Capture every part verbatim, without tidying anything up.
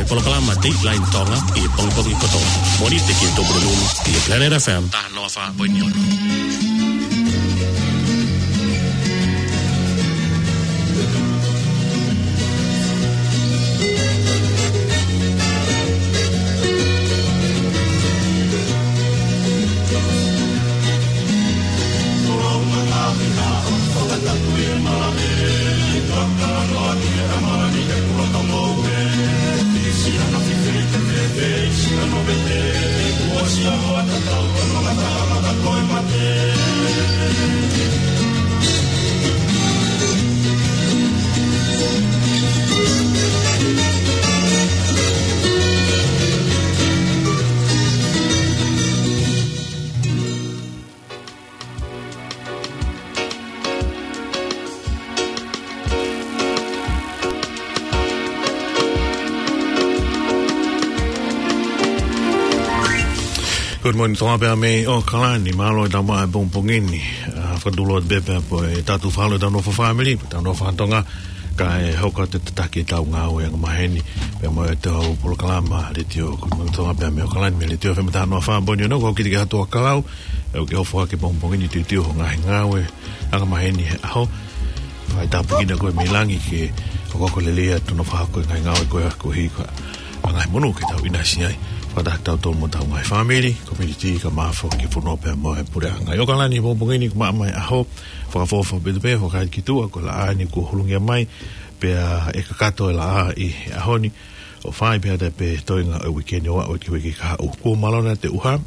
Polokalama Dateline Tonga ʻi he pongipongi kotoa. Mōnite ki he Tupuna Nunu ʻi he Planet F M. Taha noa fā poini ono. Good morning, Tonga pea mei ʻAokalani, mālō e tau maʻa e pongipongi ni. ʻA, fakatulou atu pē pea mo e tau fakalotolahi ʻetau nofo fāmili, ʻetau nofo fakatonga, kae hoko atu e tataki ʻetau ngāue angamaheni, pea mo ʻetau polokalama letiō, Good morning, Tonga pea mei ʻAokalani, mei he letiō F M taha noa fā poini ono, ko Kitike Hatuakalau, ʻoku ke hoko atu he pongipongi ni tuitui hoʻo ngaahi ngāue angamaheni he ʻaho. Fai tāpuekina koe mei langi ke hokohoko lelei atu hono fakahoko e ngaahi ngāue ko ia koeʻuhi ko e ngaahi monū ke tau ʻinasi ai. Fakataha kitautolu mo hotau ngaahi fāmili, community, kae ʻumaʻā foki e fonua pea mo e puleʻanga. ʻI ʻAokalani he pongipongi ni, ko e maʻamaʻa e ʻaho, fakaʻofoʻofa pē, pea fakaʻi ki tuʻa, ko e laʻā ni kuo hulungia mai, pea ʻe kakato e laʻā ʻi he ʻaho ni, ʻo fai pē ʻa e toenga ʻo e uike ni ʻo aʻu ki he uike kahaʻu. Kuo mālō ʻa e ʻuha,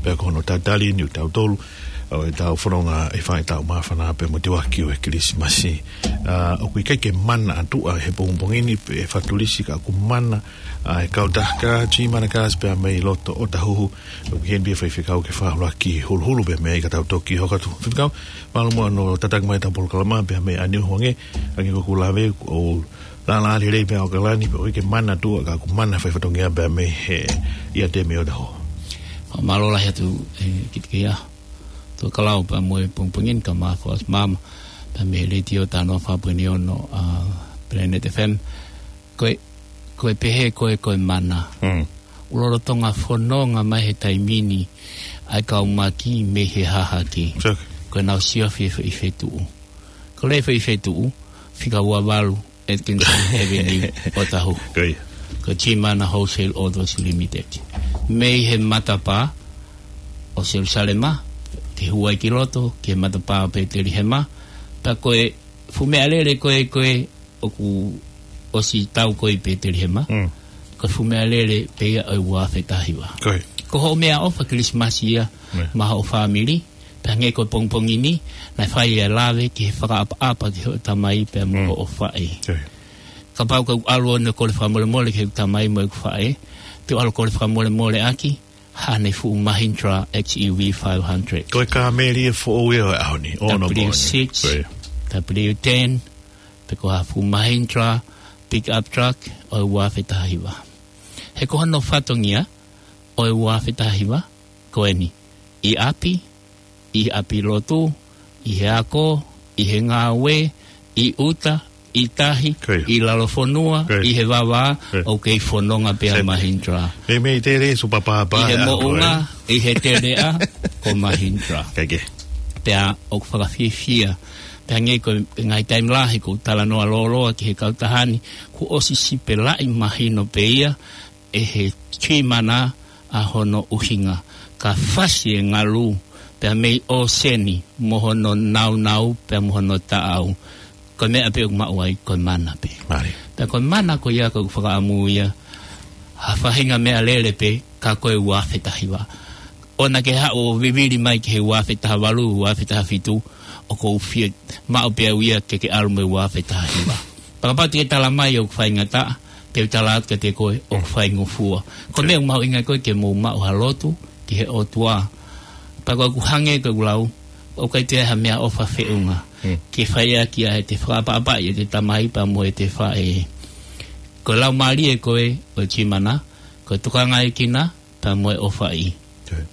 pea ko hono tatali eni ʻo tautolu, ʻo ʻetau fononga ʻi he fai ʻetau māfana pea mo e tuʻuaki ʻo e Kilisimasi. ʻA, ʻoku ʻikai ke mana atu ʻa e he pongipongi ni pe fakatulisi ka ʻoku mana ʻa e kautaha Tui Mana Cars pea mei loto ʻOtahuhu. ʻOku ʻi heni pē faifekau ke fakaʻuluaki huluhulu pea mei ai ka tau toki hoko atu. Faifekau, mālō muʻa hono tataki mai ʻetau polokalama pea mei ʻanehu ange, ange ko ʻeku lave, ʻoku lālā lelei pē ʻAokalani, pea ʻoku ʻikai ke mana atu ʻa ka ʻoku mana fai fatongia pea mei he ʻiate mei ʻOtahuhu. Mālō lahi atu, ʻe, Kitike Hatuakalau pea mo e pongipongi ni kae ʻumaʻā foki ʻa e maama, pea mei he letiō taha noa fā poini ono, ʻa, Planet F M. Ko e, ko e pehē ko e, ko e mana. Mm. ʻOku lolotonga fononga mai he taimi ni ʻa e kau maki mei he hahake. Sure. Ko ʻenau siofi e fe-, ʻi fetuʻu. Ko e lea ʻi fetuʻu, fika ua valu, Atkinson Avenue, ʻOtahuhu. Ko ia. Ko Tui Mana Wholesale Autos Limited. Mei he matapā ʻo Selusalema, ke hū ai ki loto, ki he matapā ʻo Petelihema, pea ko e fuʻu meʻalele ko e, ko e ʻoku ʻosi tau ko ē ʻi Petelihema, Mm. ko e fuʻu meʻalele pē ia ʻo e ua afe taha hiva. Ko ia. Ko hoʻo meʻaʻofa Kilisimasi ia, Yeah. maʻa hoʻo fāmili, pea hangē ko e pongipongi ni, naʻe fai e lave ki he fakaʻapaʻapa ki hoʻo tamai pea mo Mm. hoʻo faʻē. Ko ia. Kapau ʻoku ke ʻalu ʻo ne kole fakamolemole ki he tamai mo e faʻē, te u ʻalu ʻo kole fakamolemole ʻaki, haʻane fuʻu Mahindra X E V five hundred. Ko e kāmeli ʻe foʻou ia ʻo e ʻaho ni, ʻo no W six, Ko ia. W ten, pe ko ha fuʻu Mahindra pick up truck ʻo e ua afe taha hiva. He ko hono fatongia ʻo e ua afe taha hiva, ko eni. ʻI ʻapi, ʻi ʻapi lotu, ʻi he ako, ʻi he ngāue, ʻi ʻuta, ʻi tahi, Ko ia. ʻi lalo fonua, Ko ia. ʻi he vavā, Ko ia. ʻoku kei fononga pē ʻa e Mahindra. Meimei tele supapāpā ʻi he ʻa e moʻunga, ʻi he teleʻa, ko Mahindra. Kae kehe. Pea ʻoku fakafiefia. Pea hangē ko e ngaahi taimi lahi ʻoku ou talanoa lōloa ki he kautaha ni, kuo ʻosi sipelaʻi mahino pē ia, ʻe he Tui Mana ʻa hono ʻuhinga, ka fasi e ngalu, pea mei ʻōseni mo hono naunau, pea mo hono taʻau. Ko e meʻa pē ʻoku maʻu ai, ko e mana pē. Mālie. Pea ko e mana ko ia ʻoku ou fakaʻamu ia, ha faʻahinga meʻalele pē, ka ko e ua afe taha hiva. ʻO na ke haʻu ʻo vivili mai ki he ua afe taha valu, ua afe taha fitu, ʻoku ou fie maʻu pē au ia ke ke ʻalu mo e ua afe taha hiva. Pea kapau te ke tala mai ʻoku faingataʻa, te u tala atu kiate koe ʻoku faingofua. Ko e meʻa ʻoku mahuʻinga ko ē ke mou maʻu ha lotu ki he ʻOtua. Pea ko ʻeku hangē ko ʻeku lau, ʻoku ʻikai toe ʻi ai ha meʻaʻofa feʻunga Mm. ke fai ʻaki ʻa ʻete fakaʻapaʻapaʻi ʻete tamai pea mo ʻete faʻē. Ko e laumālie ko ē ʻo e Tui Mana, ko e tokangaekina pea mo e ʻōfaʻi. Ko ia.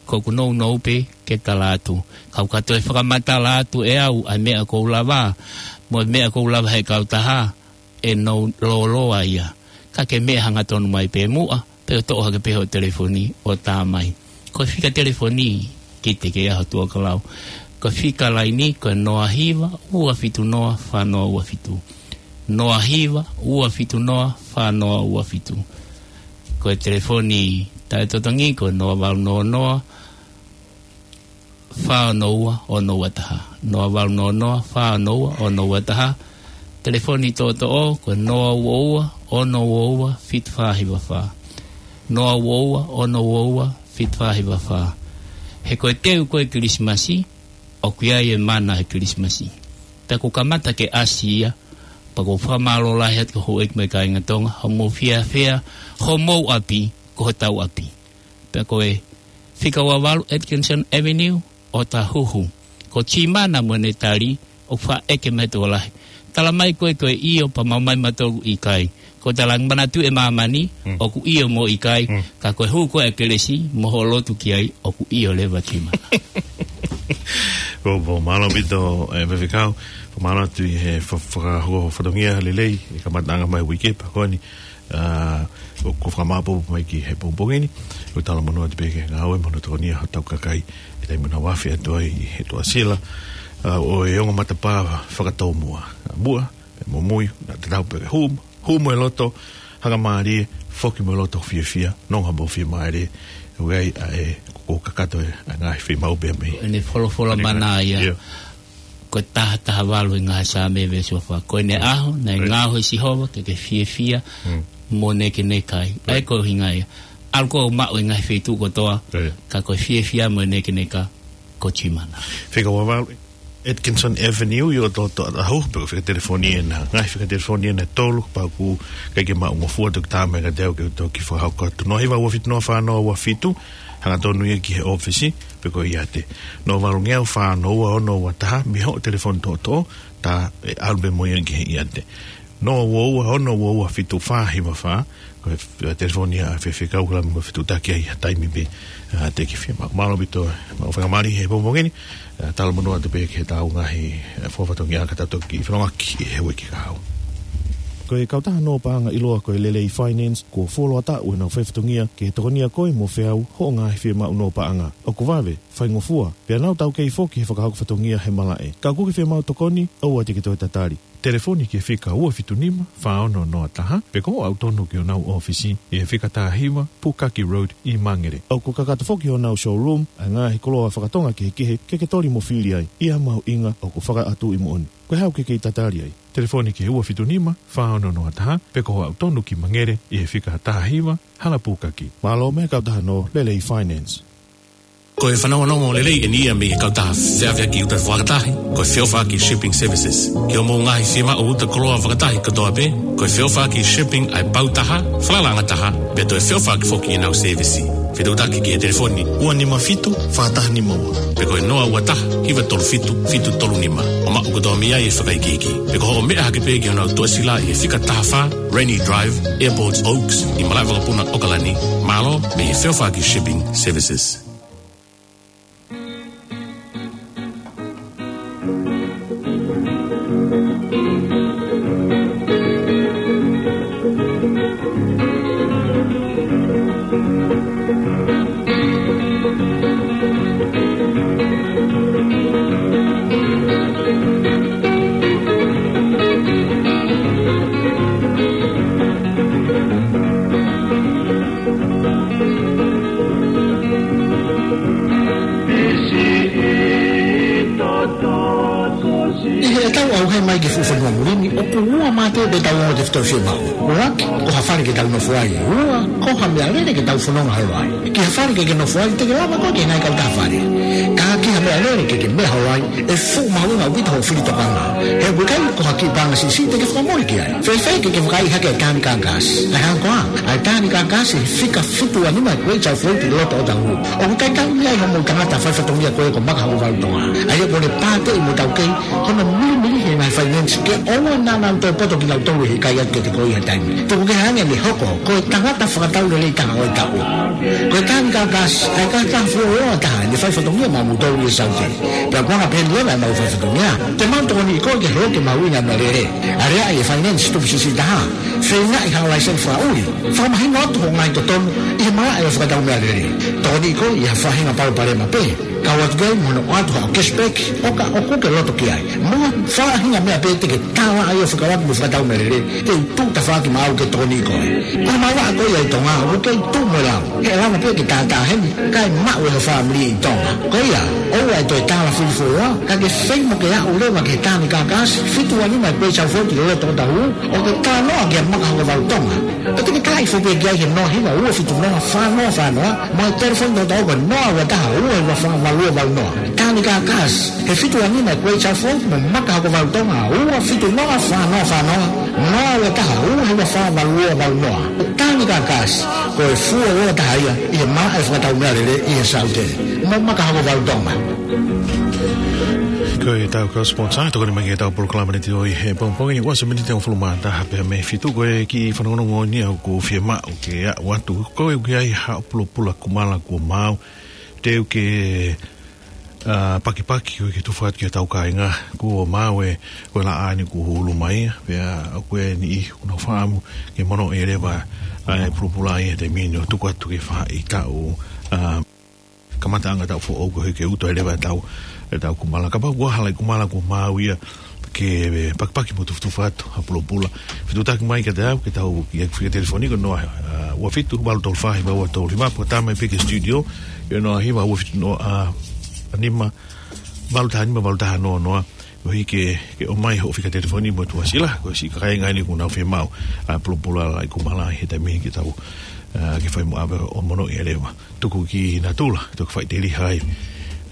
Ko ʻeku nounou pē ke tala atu. Kapau ka toe fakamatala atu ʻe au ʻa e meʻa ʻoku ou lava, mo e meʻa ʻoku ou lava he kautaha, ʻe nou lōloa ia. Ka ke meʻa hangatonu mai pē muʻa, pea toʻo hake pē hoʻo telefoni ʻo tā mai. Ko e fika telefoni, kiate au ʻe Tuʻakalau. Ko e fika laini, ko e noa hiva, ua fitu noa, fā noa ua fitu. Noa hiva, ua fitu noa, fā noa ua fitu. Ko e telefoni taʻetotongi, ko e noa valu noa noa, fā ono ua, ono ua taha. Noa valu noa noa, fā ono ua, ono ua taha. Telefoni toʻotoʻo, ko e noa ua ua, ono ua ua, fitu fā hiva fā. Noa ua ua, ono ua ua, fitu fā hiva fā. He ko e teu ko ē Kilisimasi, ʻoku ʻi ai e mana he Kilisimasi. Pea ʻoku kamata ke ʻasi ia, pea ʻoku ou fakamālō lahi atu ki he houʻeiki mo e kāinga Tonga, hoʻomou fiefia, homou ʻapi, ko hotau ʻapi. Pea ko e fika ua valu Atkinson Avenue, ʻOtahuhu. Ko Timana mo ʻene tali, ʻoku faʻa ʻeke mai ʻe he tokolahi. Tala mai ko ē ko e ʻio pea maumau mai mautolu ʻikai. Ko e tala manatu ʻa māmani, Mm. ʻoku ʻio mo ʻikai, Mm. ka ko e hū ko ē ʻa e kelesi, mo hoʻo lotu ki ai, ʻoku ʻio leva Timana. Ko, ko mālō ʻaupito, ē, Faifekau, ko mālō atu ʻi he fa-, fakahoko fatongia lelei, ʻi he kamataʻanga mai uike pea ko eni, ʻa, ʻoku fakamāʻopoʻopo mai ki he pongipongi ni, ʻoku talamonū atu pē ki he ngāue mo hono tokonia hotau kakai, ʻi he taimi naʻa nau afe atu ai ʻi he tuʻasila, ʻa, ʻo e ongo matapā fakatōmuʻa. Muʻa, pea momui, naʻa tatau pē ke hū, hū mo e loto, hanga mālie, foki mo e loto fiefia, nonga mo fiemālie, ʻoku ʻi ai ʻa e, ko e kakato ē, ʻa e ngaahi fiemaʻu pē mei. ʻEne folofola Ani mana ia. Ia. Ko e taha taha valu ʻi he ngaahi Saame veesi ua fā. Ko ʻene Mm. ʻaho, naʻe Mm. ngaohi ʻe Sihova, ke ke fiefia, Mm. mo nekeneka ai. ʻA ia Mm. ko e ʻuhinga ia. ʻAlu koe ʻo maʻu e ngaahi feituʻu kotoa, Mm. ka ko e fiefia mo e nekeneka, ko Timana. Fika ua valu, Atkinson Avenue, ʻi ʻOtoʻoto, ʻOtahuhu, pea ko e fika telefoni ena, ngaahi fika telefoni ena ʻe tolu, pea ʻoku ʻikai ke maʻungofua, toki tā mai kiate au ke u toki fakahoko atu. Noa hiva ua fitu noa fā noa ua fitu, hangatonu ia ki he ʻōfisi, pe ko e ʻiate. Noa valu ngeau fā ono ua ono ua taha, mei hoʻo telefoni toʻotoʻo, tā ʻe ʻalu pē mo ia ki he ʻiate. Noa ua ua ono ua ua fitu fā hiva fā, ko e f-, telefoni ʻa Faifekau, ka ʻoku mou fetuʻutaki ai ha taimi pē, ʻa, te ke fiemaʻu. Mālō ʻaupito, mau fakamālō he pongipongi ni, ʻa, talamonū atu pē ki he tau ngaahi, ʻa, fakafatongia ka tau toki fanongoaki he uike kahaʻu. Ko e kautaha nō paʻanga ʻiloa ko e Lelei Finance, kuo fuoloa taʻu ʻenau faifatongia ke tokonia koe mo feau hoʻo ngaahi fiemaʻu nō paʻanga. ʻOku vave, faingofua, pea nau taukei foki he fakahoko fatongia he malaʻe. Ka ʻoku ke fiemaʻu tokoni, ʻoua te ke toe tatali. Telefoni ki he fika ua fitu nima, fā ono noa taha, pe ko hoʻo aʻu tonu ki honau ʻōfisi, ʻi he fika taha hiva, Pukaki Road, ʻi Mangere. ʻOku kakato foki honau showroom, ʻa e ngaahi koloa fakatonga kehekehe, ke ke toli mo fili ai, ʻi ha mahuʻinga ʻoku fakaʻatu ʻi moʻoni. Ko e hā ʻoku ke kei tatali ai? Telefoni ki he ua fitu nima, fā ono noa taha, pe ko hoʻo aʻu tonu ki Mangere, ʻi he fika taha hiva, Hala Pukaki. Mālō mei he kautaha nō Lelei Finance. Ko e fanongonongo lelei eni ia mei he kautaha feʻaveʻaki uta fakatahi, ko e Feʻofaʻaki Shipping Services. Ki hoʻomou ngaahi fiemaʻu uta koloa fakatahi kotoa pē, ko e Feʻofaʻaki Shipping ʻa e pau taha, falalaʻanga taha, pea toe feʻofaʻaki foki ʻenau sēvisi. Fetuʻutaki ki he telefoni ua nima fitu, fā taha nima ua, pe ko e noa ua taha, hiva tolu fitu, fitu tolu nima. ʻO maʻu kotoa mei ai e fakaikiiki. Pe ko hoʻo meʻa hake pē ki honau tuʻasila ʻi he fika taha fā, Rainy Drive, Airport Oaks, ʻi malaʻe vakapuna ʻAokalani, mālō mei he Feʻofaʻaki Shipping Services. ʻI heʻetau ʻauhē mai ki he fuʻu fonua muli ni, ʻoku ua mā pē ʻetau ongo tefitoʻi fiemaʻu. ʻUluaki, ko ha fale ke tau nofo ai. Ua, ko ha meʻalele ke tau fononga holo ai. Ki ha fale ke ke nofo ai, te ke lava koe ke ngaahi kautaha fale. Ka ki ha meʻalele ke ke meʻa holo ai, ʻe fuʻu mahuʻinga ʻaupito hoʻo fili tokanga. He ʻoku ʻikai ko ha kiʻi paʻanga siʻisiʻi te ke fakamole ki ai. Fēfē ke ke vakaiʻi hake e tani kākasi? ʻA e hā koā, ʻa e tani kākasi he fika fitu ua nima Great South Road ʻi loto ʻOtahuhu. ʻOku ʻikai tau mei ai hoʻomou tangata faifatongia ko ē ko Maka Hokovalu Tonga. ʻA ia ʻoku ne pāteʻi mo taukei hono milimili he ngaahi fai Ke ʻoua naʻa nau toe poto kinautolu ʻi he kai atu kiate koe ʻi he taimi. Tuku kehe ange ʻene hoko ko e tangata fakataulelei taha ʻo e taʻu. Ko e Tani Kakasi, ʻa e kakai fuoloa taha ʻi he fai fatongia maʻamoutolu ʻi he Saute. Pea ko e anga pē ʻeni leva ʻemau fai fatongia, te mau tokoniʻi koe ke hoko ke mahuʻinga meʻalele. Aleaʻi e finance tupu siʻisiʻi taha. Feingaʻi ha laiseni fakaʻuli. Fakamahino atu hoʻo ngaahi totonu ʻi he malaʻe ʻo e fakatau meʻalele. Tokoniʻi koe ʻi ha faʻahinga palopalema pē. Kau atu ki ai mo hono ʻoatu haʻo cashback, ʻo ka ʻoku ke loto ki ai. Mo ha faʻahinga meʻa pē te ke tala ai ʻo fekauʻaki mo e fakatau meʻalele, te u tuʻu tafaʻaki maʻau ke tokoniʻi koe. Ko e malanga ko ia ʻi Tonga, ʻoku kei tuʻu mo e lau. He ʻe lava pē ke tātā heni, kae maʻu ʻe ho fāmili ʻi Tonga. Ko ia, ʻoua ʻe toe tala fili fuoloa, ka ke feinga ke aʻu leva ki he Tani Kakasi, fitu ua nima Great South Road ʻi loto Otahuhu, ʻo ke talanoa kia Maka Hokovalu Tonga. Pea te ke talaʻi foki pē ki ai he noa hiva ua fitu noa fā noa fā noa, mo e telefoni tokotaha ko e noa ua taha ua hiva fā valu ua valu noa. Tani Kakasi, he fitu ua nima Great South Road mo Maka Hokovalu Tonga, ua fitu noa fā noa fā noa, noa ua taha ua hiva fā valu ua valu noa. Tani Kakasi, ko e fuoloa taha ia ʻi he malaʻe fakatau meʻalele ʻi he Saute. Mo Maka Hokovalu Tonga. Ko ʻetau kau sponsor, tokoni mai ki heʻetau polokalama ni ʻo e ʻaho ni he pongipongi ni, ua miniti ʻe hongofulu mā taha pea mei he fitu. Ko e kiʻi fanongonongo ni ʻoku ou fiemaʻu ke aʻu atu. Ko e ʻoku ʻi ai haʻo pulopula kumala kuo maau. Te u ke, ā, pakipaki ʻo ke tufa atu ki hotau kāinga. Kuo maau ē, ko e laʻā ni kuo hulu mai. Pea ʻoku ʻi ai e niʻihi ʻoku nau fakaʻamu ke monoʻi leva ʻa e pulopula ʻi he taimi ni ʻo tuku atu ke faʻahitaʻu, ā, kamataʻanga taʻu foʻou koeʻuhi ke uto ai leva ʻetau, ʻetau kumala. Kapau ʻoku ʻi ai ha laʻi kumala kuo maau ia, ke pakipaki mo tufutufa atu ha pulopula, fetuʻutaki mai kiate au, ke tau, ki he fika telefoni ko e noa, ā, ua fitu valu tolu fā hiva ua tolu hiva, pe ko e tā mai pē ki he studio, ʻi he noa hiva ua fitu noa, ā, nima valu taha nima valu taha noa noa. ʻOku ʻi ai ke, ke ʻomai hoʻo fika telefoni mo e tuʻasila, ko e siʻi kāinga eni ʻoku nau fiemaʻu, ā, pulopula laʻi kumala ʻi he taimi ni ke tau, ā, ke fai mo ʻave ʻo monoʻi leva. Tuku ki natula, toki faʻiteliha ai,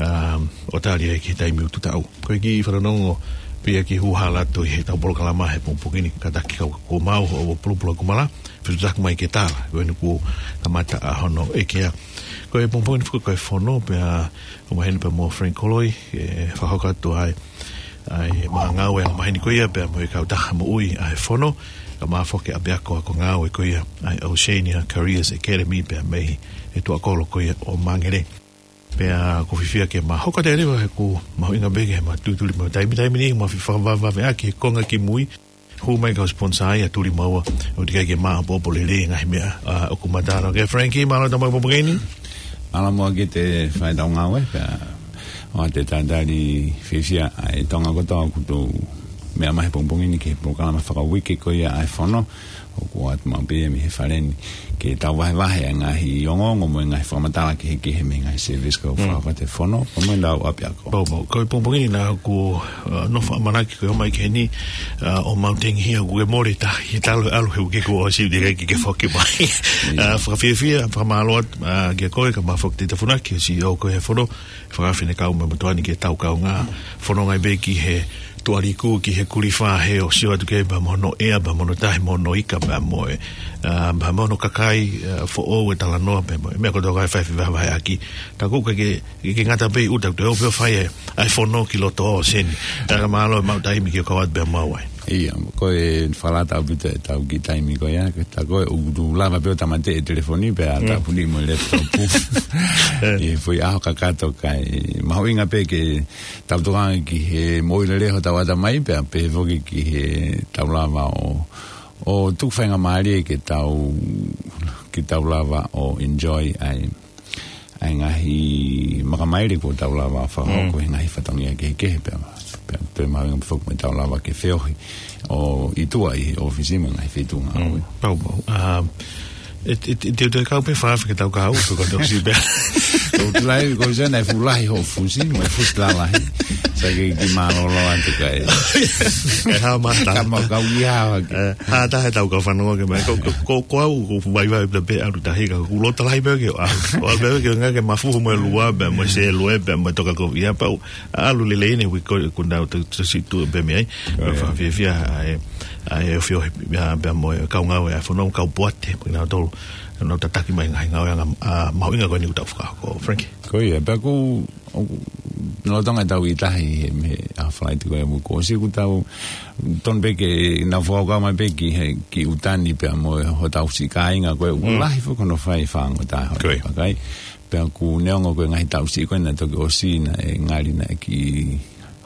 ā, ʻo tali ai ki he taimi utu taʻu. Ko e kiʻi fanongonongo pē ia ki he hū hala atu ʻi heʻetau polokalama he pongipongi ni, kātaki kau kuo maau hoʻo pulopula kumala, fetuʻutaki mai ke tala, ko eni kuo kamata ʻa hono ʻekea. Ko e pongipongi ni foki ko e fono, pea ʻoku maheni pē mo Frank Koloi, ʻe fakahoko atu ai ʻa e ngāue ʻa e maheni ko ia pea mo e kautaha moʻui ʻa e fono, kae ʻumaʻā foki ʻa e ʻapiako ako ngāue ko ia ʻa e Oceania Careers Academy pea mei he tuʻakolo ko ia ʻo Mangere. Pea ʻoku ou fiefia ke ma hoko atu leva he ʻoku mahuʻinga pē ke ma tūtuli mo taimi taimi ni ma fie fakavavevave ʻaki he konga kimui. Hū mai kau sponsor ia tuli maua ʻo teʻeki ai ke ma ʻopoʻopo lelei ngaahi meʻa, ā, ʻoku ma tala. Ko Frankie, mālō e tau mai pongipongi ni. Mālō muʻa ki he fai ʻetau ngāue, pea ʻoatu e talitali fiefia ʻa e Tonga kotoa ʻoku tau meʻa mai he pongipongi ni ki he polokalama fakauike ko ia ʻa e fono, ʻoku ʻoatu maʻu pē ia mei he fale ni, ke tau vahevahe ʻa e ngaahi ongoongo mo e ngaahi fakamatala kehekehe mei he ngaahi service ʻoku fakahoko ʻe he fono, pea mo ʻetau ʻapiako. Pau, pau. Ko e pongipongi ni naʻá ku, ā, nofo ʻamanaki ko e ō mai ki heni, ā, ʻo mau tengihia kuo ke mole tahi, talu e ʻalu he uike kuo ʻosi, teʻeki ai ke ke foki mai. Ā, fakafiefia, fakamālō atu, ā, kia koe, kae ʻumaʻā foki Tita Funaki, ʻa e C E O ko ia ʻo e fono, fakafinekau mo e motuʻa ni ke tau kaungā fononga ai pē ki he tuʻa liku, ki he kulifā, he ʻoku sio atu ki ai pea mo hono ʻea, pea mo hono tahi, mo hono ika, pea mo e, ā, pea mo hono kakai, ā, foʻou, e talanoa, pea mo e meʻa kotoa ʻoku fai fevahevaheʻaki. Ka ʻoku ʻikai ke, ke, ke ngata pē ʻi ʻuta, te u ō pē ʻo fai e, ʻa e fono ki loto ʻōseni. Ā, ka mālō e maʻu taimi ke kau atu pea mo au ai. ʻIa, ko e fakalata ʻaupito ʻetau kiʻi taimi ko ia, ka ko e ʻoku ou lava pē ʻo tāmateʻi e telefoni pea tāpuni mo e laptop. ʻI he foʻi ʻaho kakato, kae mahuʻinga pē ke tau tokanga ki he moʻui lelei hotau ʻatamai pea pehē foki ki he tau lava ʻo, ʻo tuku faingamālie ke tau, ke tau lava ʻo enjoy ai ʻa e ngaahi makamaile kuo tau lava fakahoko he ngaahi fatongia kehekehe pea, pea toe mahuʻinga pē foki mo ʻetau lava ke feohi ʻo ʻi tuʻa ʻi he ʻōfisi mo e ngaahi feituʻu ngāue. Pau, pau. Ā, ʻe, ʻe, ʻe, te u toe kau pē fakaʻaho ke tau kau, ko e koto si pē. Ko e tulaʻi, ko e sena e fuʻu lahi hoʻo fusi, mo e fusi lalahi. Sai ke kiʻi mālōlō atu kae. ʻE hā mata. Ka mau kau ia hake. Ē, hā taha ʻetau kau fanongo ke mai. Ko, ko, ko, ko au, ʻoku ou vaivai pē pea ʻalu tahi ka ʻoku ou loto lahi pē ke, ā, ʻoku ou ʻalu pē ke ngā ke mafuhu mo e lua, pea mo e sēlue, pea mo e toka kovi, ā, pau, ʻalu lelei ni, ui ko, ko nau te, te si tu pē mei ai. Pea fakafiefia, ʻa e, ʻa e ʻofiofi, ā, pea mo e kau ngāue ʻa e fono, kau poate, mo kinautolu, nau tataki mai ngaahi ngāueʻanga, ā, mahuʻinga ko eni ʻoku tau fakahoko, Frankie. Ko ia, pea ʻoku, ʻoku Lolotonga ʻetau ʻi tahi he, mei he ʻaho Falaite ko ē ʻoku ʻosi, ʻoku tau tonu pē ke nau fakakaukau mai pē ki he, ki ʻuta ni pea mo hotau siʻi kāinga ko ē ʻoku lahi foki hono fai fāngota hono vakai. Pea ʻoku neongo ko e ngaahi taʻu siʻi ko ē naʻe toki ʻosi naʻe ngali naʻe kiʻi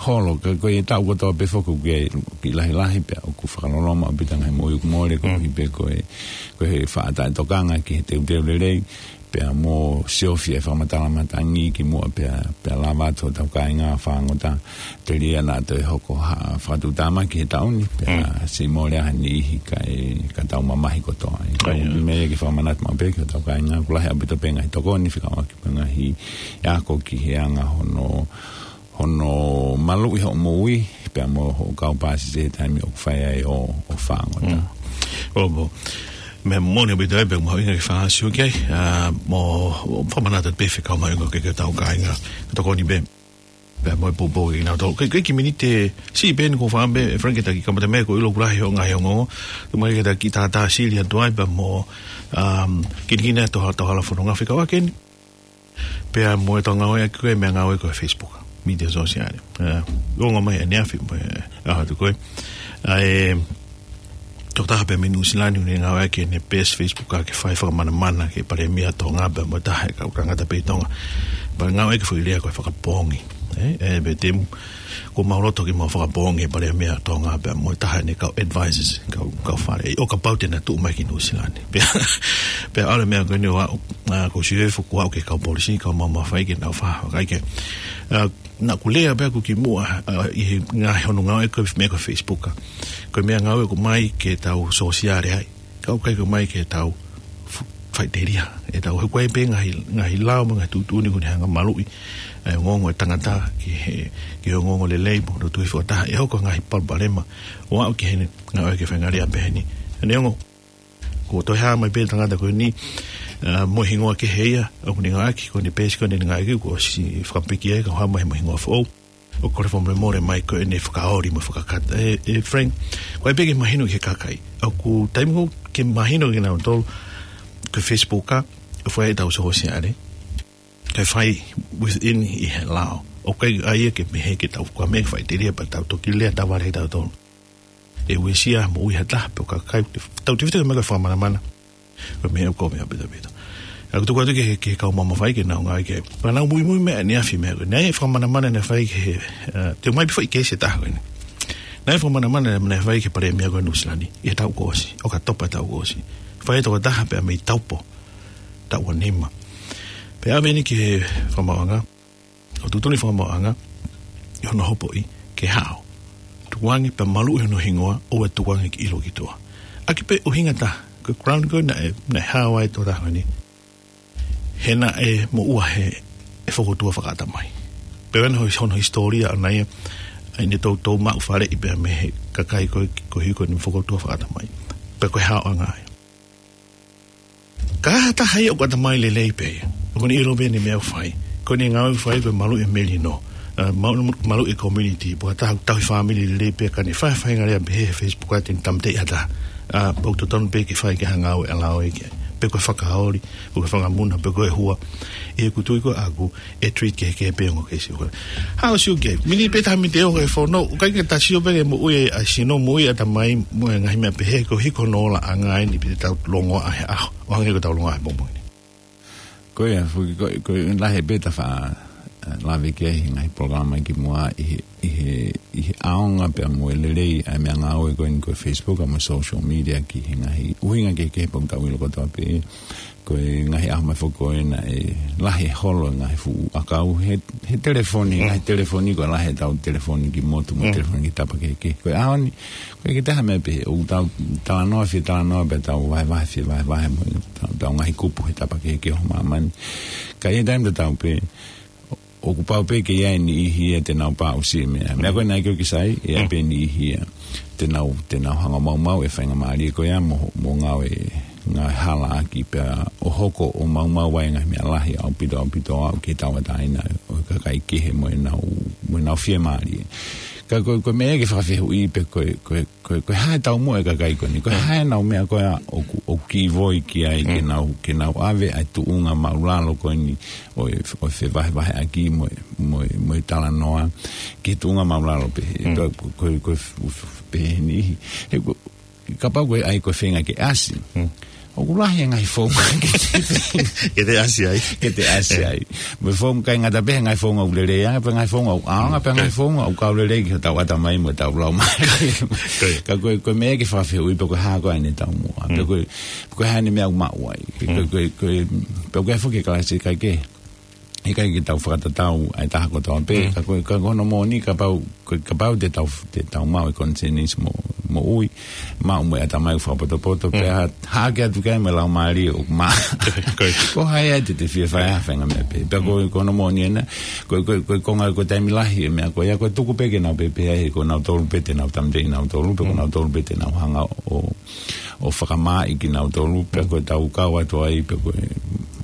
holo, ka ko e taʻu kotoa pē foki ʻoku kiʻi lahilahi pea ʻoku fakaloloma ʻaupito ngaahi moʻui ʻoku mole koeʻuhi pē ko e, ko e faʻa taʻetokanga ki he teuteu lelei. Pea mo siofi e fakamatala matangi ki muʻa pea, pea lava atu hotau kāinga fāngota telia naʻa toe hoko ha fakatuʻutāmaki he taʻu ni, pea siʻi mole ʻa ha niʻihi kae, ka tau mamahi kotoa. Ka ʻoku meʻa ke fakamanatu maʻu pē ki hotau kāinga, ʻoku lahi ʻaupito pē ngaahi tokoni, fekauʻaki pē ngaahi ako ki he anga hono hono maluʻi hoʻo moʻui, pea mo hoʻo kau pāsese he taimi ʻoku fai ai ʻo, ʻo fāngota. ʻO, mo. Meʻa moʻoni ʻaupito ē pea mo e ʻuhinga ke fakaʻosi ʻaki ai, ʻa, mo, mo fakamanatu pē fekau mai ko ē ki hotau kāinga, tokoni pē. Pea mo e poupou kinautolu. Ko e, ko e kiʻi miniti siʻi pē eni ʻoku ou fakaʻamu pē, Frank, ke ta kiʻi kamata mai ko e ʻilo ʻoku lahi hoʻo ngaahi ongoongo. Tuku mai ke ta kiʻi tātāsili atu ai, pea mo, um, kinikini atu hotau hala fononga fekauʻaki eni. Pea mo e tau ngāueʻaki ko e meʻangāue ko e Facebook, mītia sōsiale. ʻE, ongo mai ʻaneafi mo e, ʻa, atu ko ē. ʻA e, tokotaha pē mei Nuʻu Sila ni ʻoku ne ngāueʻaki ʻene peesi Facebook ke fai fakamanamana ki he Palēmia Tonga pea mo e taha e kau tangata pē ʻi Tonga. Pea ngāueʻaki e foʻi lea ko e fakapoongi. ʻE, ʻe, pea te mu, ʻoku mau loto ke mau fakapoongi e Palēmia Tonga pea mo e taha ʻene kau advisors, kau, kau fale. ʻO kapau te na tuʻu mai ki Nuʻu Sila ni. Pea, pea ʻalu e meʻa ko eni ʻo aʻu, ʻa, ʻoku ou sio ʻe fuku aʻu ki he kau polisi, kau maʻu mafai ke nau fakahā, kae kehe. ʻA, naʻa ku lea pē ʻaku kimuʻa, ʻa, ʻi he ngaahi hono ngāueʻaki e meʻa ko e Facebook. Ko e meʻangāue ʻoku ʻomai ke tau sōsiale ai. Ka ʻoku ʻikai ke ʻomai ke tau f-, faʻiteliha. ʻE tau hoko ai pē ngaahi, ngaahi lao mo e ngaahi tuʻutuʻuni ʻoku ne hanga ʻo maluʻi ʻa e ongoongo ʻo e tangata ki he, ki he ongoongo lelei mo hono tui fakataha. ʻE hoko e ngaahi palopalema ʻo aʻu ki heʻene ngāueʻaki e faingamālie pehē ni. Neongo, kuo toe hā mai pē e tangata ko eni, ʻa, mo e hingoa kehe ia, ʻoku ne ngāueʻaki, ko ʻene peesi ko ē naʻa ne ngāueʻaki, kuo ʻosi fakapiki ai, ka hā mai mo e hingoa foʻou. ʻOku kole fakamolemole mai ko ʻene fakaoli mo e fakakata. ʻE, ʻe Frank, ko e pē ke mahino ki he kakai. ʻOku taimi ko ē ke mahino kinautolu, ko e Facebook ʻa, ʻoku fai ʻetau sōsiale. Kae fai within ʻi he lao. ʻOku ʻikai ʻa ia ke meʻa ke tau kua meʻa ke faʻiteliha pea tau toki lea tavale kitautolu. ʻE uesia moʻui ha taha pe ko e kakai, tau tefito mai ko e fakamanamana. Ko e meʻa ʻoku meʻa pētapēta. ʻOku tuku atu ki he, ki he kau maʻu mafai ke nau ngāueʻaki. Pea nau muimui mai ʻaneafi meʻa ko ē. Naʻe fakamanamana naʻe fai ki he, ʻa, te u ʻomai pē foʻi keisi ʻe taha ko eni. Naʻe fakamanamana naʻe fai ki he Palēmia ko ē Nuʻu Sila ni. ʻI he taʻu kuo ʻosi. ʻOkatopa taʻu kuo ʻosi. Fai ʻe he tokotaha pea mei Taupo. Taʻu ua nima. Pea ʻave eni ki he fakamaauʻanga. ʻO tuʻutuʻuni fakamaauʻanga, ʻi hono hopoʻi, ke hao. Tukuange pea maluʻi hono hingoa, ʻoua ʻe tukuange ke ʻilo ki tuʻa. ʻAki pē ʻuhinga taha, ko e ground ko ē naʻe, naʻe hao ai e tokotaha ko eni. He naʻe moʻua he, he fokotuʻu fakaʻatamai. Pea ʻi hono, hono hisitōlia ʻana ia, ʻa ʻene toutou maʻu faleʻi pea mei he kakai ko ē, ko ē ko eni fokotuʻu fakaʻatamai. Pea ko e haoʻanga ia. Ka ha taha ia ʻoku ʻatamai lelei pē ia. ʻOku ne ʻilo pē ʻene meʻa ʻoku fai. Ko ʻene ngāue ʻoku fai ko e maluʻi e melino. ʻA, ma-, maluʻi e community. Pea ko ha taha ʻoku tauhi fāmili lelei pē ka ne fai faingamālie pehē he Facebook ʻa ʻene tāmateʻi ha taha. ʻA, ʻoku totonu pē ke fai ke hanga ʻo ʻalu ai ke. Pe ko e fakaoli, pe ko e fanga muna, pe ko e hua. ʻI heʻeku tui ko ē ʻaku, ʻe treat kehekehe pē ongo keisi ko ē. Haʻu ʻo sio ki ai. Miniti pē taha miniti ʻe ongo e fono. ʻOku ʻikai ke ta sio pē ki he moʻui ʻa e sino, moʻui ʻatamai, mo e ngaahi meʻa pehē, ko e hiko hono ola ʻanga eni pē te tau longoaʻa he ʻaho. ʻO hangē ko ʻetau longoaʻa he pongipongi ni. Ko ia, foki ko, ko e lahi pē ʻeta faʻa, ʻa, lave ki ai he ngaahi polokalama kimuʻa ʻi he, ʻi he, ʻi he ʻaonga pea mo e lelei ʻa e meʻangāue ko eni ko e Facebook, ʻa mo e social media ki he ngaahi ʻuhinga kehekehe pea ʻoku tau ʻilo kotoa pē. Ko e ngaahi ʻaho mai foki ko ē naʻe lahi e holo e ngaahi fuʻu ʻakau he, he telefoni, ngaahi telefoni ko e lahi ʻetau telefoni ki motu mo telefoni ki tapa kehekehe. Ko e ʻaho ni, ko e kiʻi taha meʻa pē, ʻoku tau talanoa, fie talanoa pē tau vahevahe, fie vahevahe mo tau, tau ngaahi kupu he tapa kehekehe ʻo māmani. Ka ʻi he taimi tatau pē, ʻoku pau pē ke ʻi ai e niʻihi ia te nau paʻusi e meʻa. Meʻa ko ē naʻe ʻikai ke sai, ʻe ʻi ai pē niʻihi ia te nau, te nau hanga ʻo maumau e faingamālie ko ia mo, mo ngāue, ngāue halaʻaki pea ʻo hoko ʻo maumau ai e ngaahi meʻa lahi ʻaupito, ʻaupito ʻo aʻu ki he tauʻatāina ʻo e kakai kehe mo ʻenau, mo ʻenau fiemālie. Ka ko, ko e meʻa ke fakafehuʻi pē ko, ko, ko, ko e hā e taumuʻa e kakai ko eni. Ko e hā ʻenau meʻa ko ē ʻoku, ʻoku kei ʻi ai ki ai ke nau, ke nau ʻave ʻa e tuʻunga māʻulalo ko eni ʻo e, ʻo e fevahevaheʻaki mo e, mo e, mo e talanoa ki he tuʻunga māʻulalo pē. Ko, ko, ko, pē ni. He ko, kapau ko e ʻai ko e feinga ke ʻasi. ʻOku lahi e ngaahi founga ke te, ke te ʻasi ai. Ke te ʻasi ai. Mo e founga ʻikai ngata pē he ngaahi founga ʻoku lelei ange, pea ngaahi founga ʻoku ʻaonga, pea ngaahi founga ʻoku kau lelei ki hotau ʻatamai mo ʻetau laumālie. Ka ko e, ko e meʻa ke fakafehuʻi pē ko e hā ko ē ʻene taumuʻa. Pea ko e, ko e hā ʻene meʻa ʻoku maʻu ai. Ko e, ko e, ko e, pea ko e foki e kalasi ʻikai ke ʻikai ke tau fakatatau ʻa e taha kotoa pē, ka ko, ka ko hono moʻoni kapau, ko, kapau te tau, te tau maʻu e konisēnisi mo, moʻui, maʻu mo e ʻatamai fakapotopoto, pea hā, hā ke atu ki ai mo e laumālie ʻoku maʻa. Ko hai ai te te fie fai ha faʻahinga meʻa pē. Pea ko, ko hono moʻoni ena, ko, ko, ko, ko e konga ko e taimi lahi e meʻa ko ia, ko e tuku pē ke nau pehē ai, he ko nautolu pē te nau tāmateʻi nautolu, pea ko nautolu pē te nau hanga ʻo ʻo fakamāʻi kinautolu, pea ko e tau kau atu ai, pea ko e,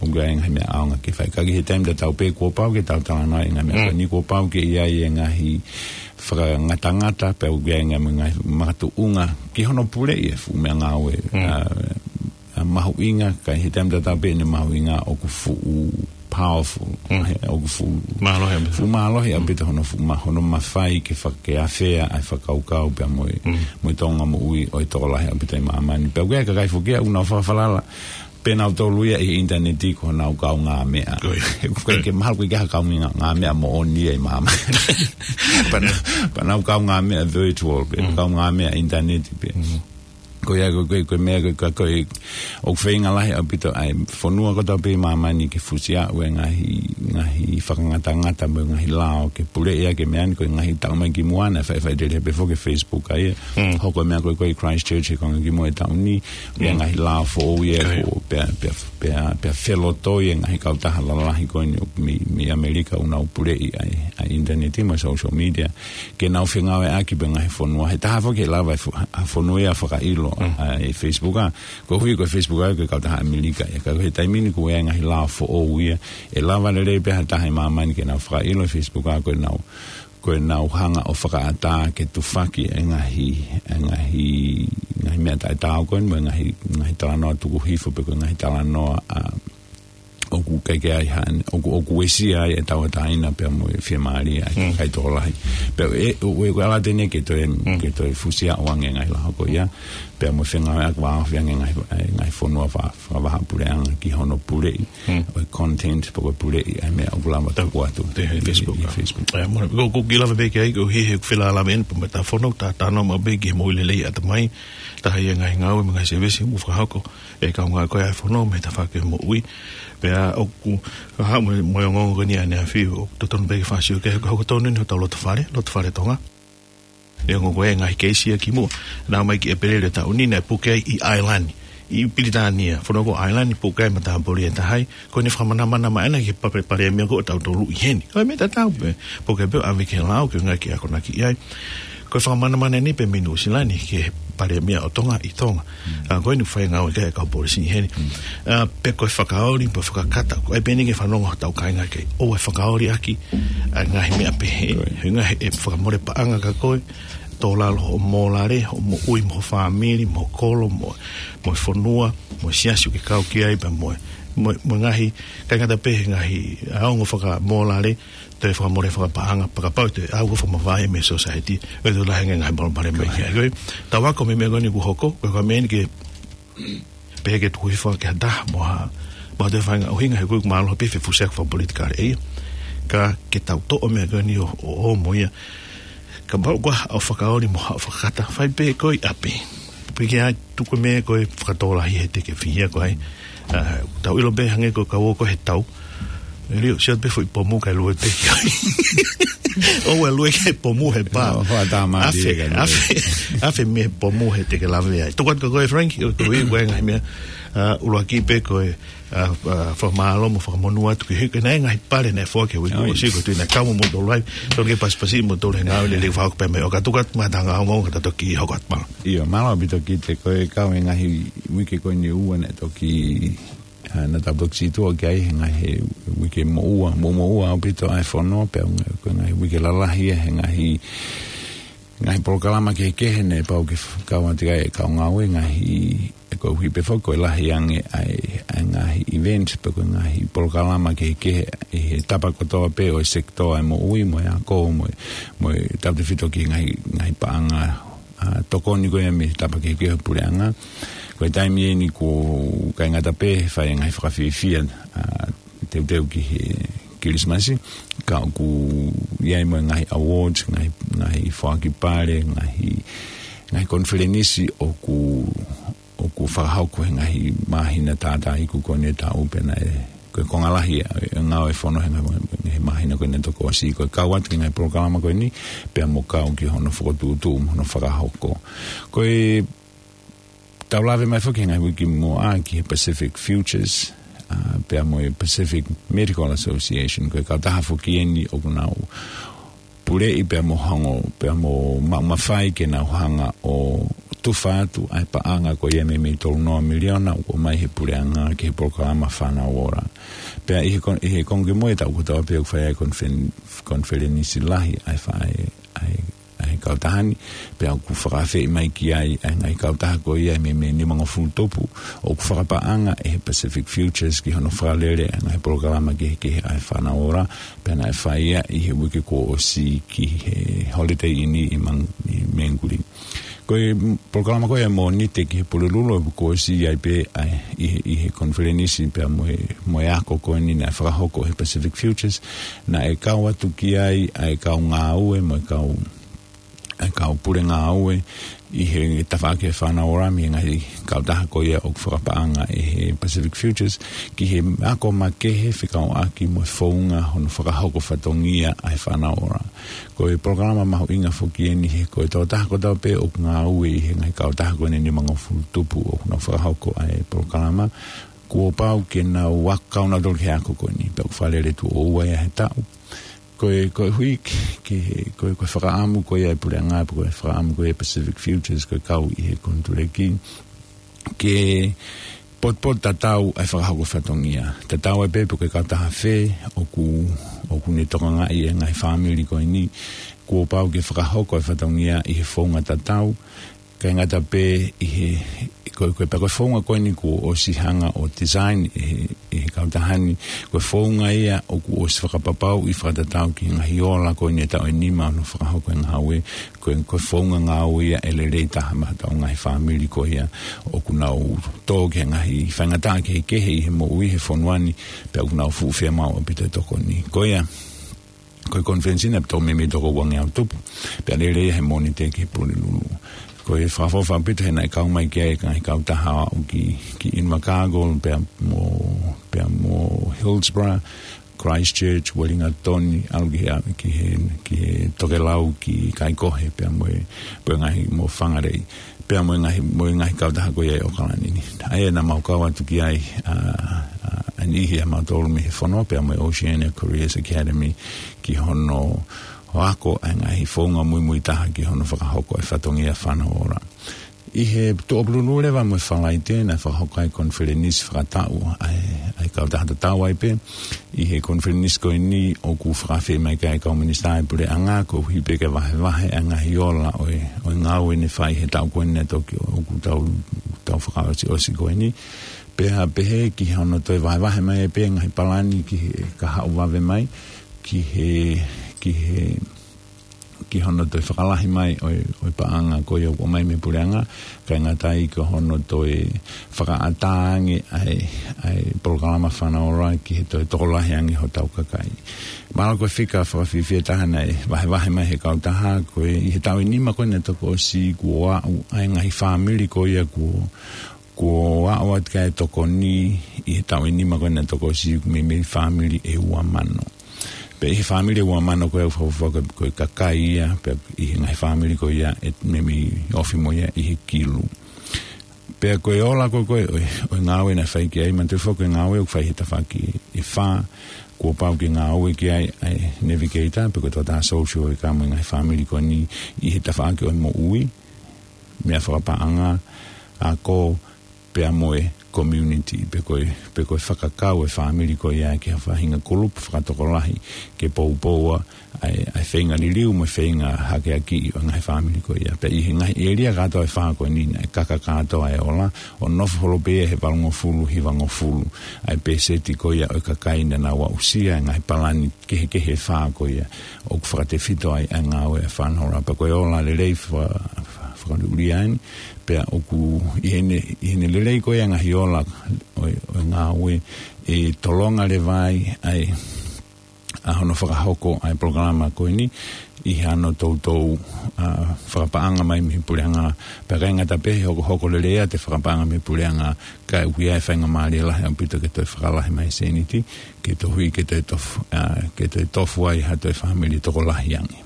ʻoku ʻi ai e ngaahi meʻa ʻaonga ke fai. Ka ʻi he taimi tatau pē kuo pau ke tau talanoa e ngaahi meʻa ko eni, kuo pau ke ʻi ai e ngaahi fakangatangata, pea ʻoku ʻi ai e ngaahi, ngaahi makatuʻunga ki hono puleʻi e fuʻu meʻangāue, ʻa, ʻa mahuʻinga, ka ʻi he taimi tatau pē ʻene mahuʻinga ʻoku fuʻu powerful. He ʻoku fuʻu mālohi ʻaupito. Fuʻu mālohi ʻaupito hono fuʻu ma-, hono mafai ke fakaafea ʻa e fakakaukau pea mo e, mo e tōʻonga moʻui ʻo e tokolahi ʻaupito ʻi māmani. Pea ʻoku ʻi ai e kakai foki ia ʻoku nau fakafalala pē nautolu ia ʻi he ʻinitaneti ko honau kaungāmeʻa. ʻOku ʻikai ke mahalo ko e ʻikai ha kaungāmeʻa moʻoni ia ʻi māmani. Pea nau, pea nau kaungāmeʻa virtual pē, kaungāmeʻa ʻinitaneti pē. Ko ia, ko, ko, ko e meʻa, ko, ko, ko e, ʻoku feinga lahi ʻaupito ʻa e fonua kotoa pē ʻi māmani ke fusi ʻa e ngaahi, ngaahi fakangatangata mo e ngaahi lao ke puleʻi ʻaki e meʻa ni, ko e ngaahi taʻu mai ki muʻa naʻe faʻifaʻiteliha pē foki e Facebook ʻa ia. Hoko e meʻa ko ē ko ē ʻi Christchurch he konga ki muʻa e taʻu ni, ʻa e ngaahi lao foʻou ia ko, pea, pea, pea, pea felotoi e ngaahi kautaha lalahi ko eni mei, mei ʻAmelika ʻoku nau puleʻi ʻa e, ʻa e ʻinitaneti mo e social media. Ke nau fengāueʻaki pē ngaahi fonua. He taha foki ʻe lava e fo-, ha fonua ia fakaʻilo ʻa e Facebook ʻa. Koeʻuhi ko e Facebook ʻa ko e kautaha ʻAmelika ia. Ka ko e taimi ni ko e ngaahi lao foʻou ia. ʻE lava lelei pē ha taha ʻi māmani ke nau fakaʻilo e Facebook ʻa ko e nau, ko e nau hanga ʻo fakaʻatā ke tufaki e ngaahi, e ngaahi, ngaahi meʻa taʻetaau ko eni mo e ngaahi, ngaahi talanoa tuku hifo pe ko e ngaahi talanoa ʻa ʻoku ʻikai ke ai hane, ʻoku, ʻoku uesia ai e tauʻatāina pea mo e fiemālie ʻa e kakai tokolahi. Pea ʻe, ʻo, ʻe, ʻoku ala tene ke toe, ke toe fusi ʻa ʻoange ngaahi lao ko ia, pea mo e fengāueʻaki vāofi ange ngaahi, e, ngaahi fonua fa-, fakavahaʻapuleʻanga ki hono puleʻi, ʻo e content, pe ko e puleʻi, ʻa e meʻa ʻoku lava tuku atu ʻi he Facebook. ʻI he Facebook. ʻE, mo, ko, ko ki lava pē ki ai, ko hi he felālave eni, pea mo e ta fono, ta tano ma pē ki he moʻui lelei ʻatamai, taha ia ngaahi ngāue mo e ngaahi sēvesi, mo fakahoko. ʻE kaungā ko e ʻa e fono mo e tafaʻaki moʻui. Pea ʻoku hā mo, mo e ongoongo ko eni ʻaneafi ʻoku totonu pē ke fakasio ki ai, ko e hoko tonu eni hotau lotofale, lotofale Tonga. ʻE ongo ko e ngaahi keisi ia ki muʻa. Naʻa mai ki ʻEpeleli taʻu ni naʻe puke ai ʻi ʻAelani, ʻi Pilitānia. Fono ko ʻAelani puke ai matāpule ʻe taha ai. Ko ʻene fakamanamana mai ʻana ki he pa-, palēmia ko ʻotautolu ʻi heni. Ko e meʻa tatau pē. Puke pē ʻo ʻave ki he lao ke ngaahi akonaki ʻi ai. Ko e fakamanamana ni pē mei Nuʻusila ni ki he palēmia ʻo Tonga ʻi Tonga. ʻA, ko eni fai ngāue ki he kau polisi ʻi heni. ʻA, pe ko e fakaoli, pe fakakata, ko e pē eni ke fanongo hotau kāinga ke ʻoua ʻe fakaoli ʻaki ʻa e ngaahi meʻa pehē. He ngaahi ʻe fakamole paʻanga kia koe, tō lalo hoʻo mōlale, hoʻo moʻui mo ho fāmili, mo ho kolo, mo, mo e fonua, mo e siasi ʻoku ke kau ki ai, pea mo e, mo, mo e ngaahi, ʻikai ngata pē he ngaahi, ʻa, ongo fakamōlale, toe fakamole fakapaʻanga, pea kapau te au ko fakamavae mei society, ʻe toe lahi ange ngaahi palopalema mai ki ai. Ko e, tau ako mei he meʻa ko eni kuo hoko, ko e ka meʻa eni ke, pehē ke tuku hifo ki ha taha, mo ha, mo ha toe faʻahinga ʻuhinga he ko e mālohi pē fefusiaki fakapolitikale ʻe ia. Ka ke tau toʻo meʻa ko eni ʻo, ʻo, ʻo mo ia. Kapau ko ha ʻo fakaoli mo ha ʻo fakakata, fai pē ko ē ʻi ʻapi. Pea ke ʻai tuku meʻa ko ē fakatōlahi he te ke fihia ko ai. ʻA, tau ʻilo pē hangē ko e kau ō ko ē he tau. ʻE lio, sio pē foʻi pomu kae lue pē ki ai. ʻOua ʻe lue ki he pomu he pā. ʻO, hoa tā mā Afe, pē ka lue. Afe, afe mei he pomu he te ke lave ai. Tuku atu kia koe Frank, ʻo tui ko e ngaahi meʻa, ʻa, ʻuluaki pē ko e, ʻa, ʻa, fakamālō mo fakamonū atu ki he, ki he ngaahi pale naʻe foaki he uike ʻosi ko e tuʻu naʻe kau mo moutolu ai. Tolu ke pasipasi moutolu he ngāue lelei fakahoko pē mai. ʻOka tuku atu mai ha ngaahi ongoongo ka ta toki hoko atu. Mālō. ʻIo, mālō ʻaupito Kite, ko e kau e ngaahi uike ko eni ʻe ua naʻe toki, ʻa, naʻa tau toki situʻa ki ai he ngaahi uike moʻua, mo, moʻua ʻaupito ʻa e fono, pea ko e ngaahi uike lalahi ia he ngaahi ngaahi polokalama kehekehe ne pau ke f-, kau atu ki ai e kau ngāue, ngaahi, ʻe koeʻuhi pē foki ko e lahi ange ʻa e, ʻa e ngaahi event, pe ko e ngaahi polokalama kehekehe ʻi he tapa kotoa pē ʻo e sekitoa ʻo e moʻui, mo e ako, mo e, mo e tautefito ki he ngaahi, ngaahi paʻanga, ʻa, tokoni ko ia mei he tapa kehekehe ʻo e puleʻanga. Ko e taimi eni ʻoku ʻikai ngata pē he fai e ngaahi fakafiefia, ʻa, teuteu ki he Kilisimasi, ka ʻoku ʻi ai mo e ngaahi awards, ngaahi, ngaahi foaki pale, ngaahi, ngaahi konifelenisi ʻoku, ʻoku fakahoko he ngaahi māhina tātā iku ko eni ʻo e taʻu pea naʻe, ko e konga lahi ʻa e ngāue fono he ngaahi, he māhina ko eni ʻe toko ʻosi, ko e kau atu ki he ngaahi polokalama ko eni, pea mo kau ki hono fokotuʻutuʻu, mo hono fakahoko. Ko e tau lave mai foki he ngaahi uike muʻa ki he Pacific Futures, ʻa, pea mo e Pacific Medical Association, ko e kautaha foki eni ʻoku nau puleʻi pea mo hanga, pea mo ma-, mafai ke nau hanga ʻo tufa atu ʻa e paʻanga ko ia meimei tolu noa miliona ʻoku ʻomai he puleʻanga ki he polokalama Fānau Ola. Pea ʻi he kon-, ʻi he konga kimui ʻo e taʻu kotoa pē ʻoku fai ai e konifen-, konifelenisi lahi ʻa e fa-, ʻa e, ʻa e ʻa e kautaha ni, pea ʻoku fakaafeʻi mai ki ai ʻa e ngaahi kautaha ko ia ʻe meimei nimangofulu tupu ʻoku fakapaʻanga ʻe he Pacific Futures ki hono fakalele ʻa e ngaahi polokalama kehekehe ʻa e Fānau Ola, pea naʻe fai ia ʻi he uike kuo ʻosi ki he Holiday Inn ʻi Mang-, ʻi Mangere. Ko e polokalama ko ia ʻa e Mōnite ki he Pulelulu ʻoku ʻosi ʻi ai pē ʻa e ʻi he, ʻi he konifelenisi pea mo e, mo e ako ko eni naʻe fakahoko ʻe he Pacific Futures, naʻe kau atu ki ai ʻa e kau ngāue mo e kau ʻa e kau pule ngāue ʻi he tafaʻaki ʻo e Fānau Ola mei he ngaahi kautaha ko ia ʻoku fakapaʻanga ʻe he Pacific Futures ki he ako makehe fekauʻaki mo e founga hono fakahoko fatongia ʻa e Fānau Ola. Ko e polokalama mahuʻinga foki eni he ko e tokotaha kotoa pē ʻoku ngāue ʻi he ngaahi kautaha ko eni nimangofulu tupu ʻoku nau fakahoko ʻa e polokalama, kuo pau ke nau ako kau nautolu ki he ako ko eni, pea ʻoku fakalele tuʻo ua ia he taʻu. Ko e, koeʻuhi ke, ke, ko e, ko e fakaʻamu ko ia ʻa e puleʻanga, pe ko e fakaʻamu ko ia ʻa e Pacific Futures, ko e kau ʻi he konituleki, ke potupotu tatau ʻa e fakahoko fatongia. Tatau ai pē pe ko e kautaha fē ʻoku, ʻoku ne tokangaʻi e ngaahi fāmili ko eni, kuo pau ke fakahoko e fatongia ʻi he founga tatau, ʻikai ngata pē ʻi he, ko, ko e pea ko e founga ko eni kuo ʻosi hanga ʻo design ʻe he, ʻe he kautaha ni, ko e founga ia ʻoku ʻosi fakapapauʻi fakatatau ki he ngaahi ola ko eni ʻe taʻu ʻe nima hono fakahoko e ngāue, ko e, ko e founga ngāue ia ʻe lelei taha maʻa hotau ngaahi fāmili ko ia ʻoku nau tō ki he ngaahi faingataʻa kehekehe ʻi he moʻui he fonua ni, pea ʻoku nau fuʻu fiemaʻu ʻaupito e tokoni. Ko ia, ko e konifelenisi naʻe tō meimei toko uangeau tupu, pea lele ia he Mōnite ki he Pulelulu. Ko e fakaʻofoʻofa ʻaupito he naʻe kau mai ki ai e ngaahi kautaha ʻo aʻu ki, ki ʻInvercargill, pea mo, pea mo Hillsborough, Christchurch, Wellington, ʻalu ki he, ki he, ki he tokelau, ki Kaikohe, pea mo e, mo e ngaahi mo Whangarei. Pea mo e ngaahi, mo e ngaahi kautaha ko ia ʻi ʻAokalani ni. ʻA ia naʻa mau kau atu ki ai, ʻa, ʻa, ʻa e niʻihi ʻa mautolu mei he fono, pea mo e Oceania Careers Academy ki hono ako ʻa e ngaahi founga muimui taha ki hono fakahoko e fatongia Fānau Ola. ʻI he Tuʻapulelulu leva mo e Falaite naʻe fakahoko ai e konifelenisi fakataʻu ʻa e, ʻa e kautaha tatau ai pē, ʻi he konifelenisi ko eni ʻoku fakaafeʻi mai ki ai e kau minisitā ʻo e puleʻanga koeʻuhi pē ke vahevahe ʻa e ngaahi ola ʻo e, ʻo e ngāue ne fai he taʻu ko eni naʻe toki ʻoku tau, tau fakaʻosiʻosi ko eni. Pea pehē ki hono toe vahevahe mai pē ngaahi palani ki he kahaʻu vave mai, ki he, ki he, ki hono toe fakalahi mai ʻo e, ʻo e paʻanga ko ia ʻoku ʻomai mei he puleʻanga, kae ngata ai ki hono toe fakaʻatā ange ʻa e, ʻa e polokalama Fānau Ola ki he toe tokolahi ange hotau kakai. Mahalo ko e fika fakafiefia taha naʻe vahevahe mai he kautaha, ko e ʻi he taʻu ʻe nima ko eni naʻe toki ʻosi kuo aʻu ʻa e ngaahi fāmili ko ia kuo, kuo aʻu atu ki ai e tokoni ʻi he taʻu ʻe nima ko eni naʻe toki ʻosi meimei fāmili ʻe ua mano. Pea ʻi he fāmili ʻe ua mano ko ia ʻoku fakaʻofoʻofa ko e, ko e kakai ia, pea ʻi he ngaahi fāmili ko ia ʻe meimei ofi mo ia ʻi he kilu. Pea ko e ola ko ē ko ē ʻo e, ʻo e ngāue naʻe fai ki ai, manatuʻi foki ko e ngāue ʻoku fai he tafaʻaki ʻe fā, kuo pau ke ngāue ki ai ʻa e navigator, pe ko e tokotaha social worker mo e ngaahi fāmili ko eni ʻi he tafaʻaki ʻo e moʻui, meʻa fakapaʻanga, ako, pea mo e community, pe ko e, pe ko e fakakau e fāmili ko ia ki ha faʻahinga kulupu fakatokolahi ke poupoua ʻa e, ʻa e feinga liliu mo e feinga hakeakiʻi ʻo e ngaahi fāmili ko ia. Pea ʻi he ngaahi ʻēlia kātoa ʻe fā ko eni naʻe kaka kātoa e ola, ʻo nofo holo pē ia he valungofulu, hivangofulu ʻa e pēseti ko ia ʻo e kakai naʻa nau aʻusia e ngaahi palani kehekehe ʻe fā ko ia ʻoku fakatefito ai ʻa e ngāue ʻa e Fānaola. Pea ko e ola lelei fa-, fa-, fakaʻuliʻulia eni, pea ʻoku ʻi heʻene, ʻi heʻene lelei ko ia e ngaahi ola ʻo e, ʻo e ngāue, ʻe tolonga leva ai ʻa e, ʻa hono fakahoko ʻa e polokalama ko eni ʻi hano toutou, ʻa, fakapaʻanga mai mei he puleʻanga. Pea ʻikai ngata pē he hokohoko lelei ʻa e fakapaʻanga mei he puleʻanga, ka ʻoku ʻi ai e faingamālie lahi ʻaupito ke toe fakalahi mai e sēniti, ke tohi ke toe tofu, ʻa, ke toe tofu ai ha toe fāmili tokolahi ange.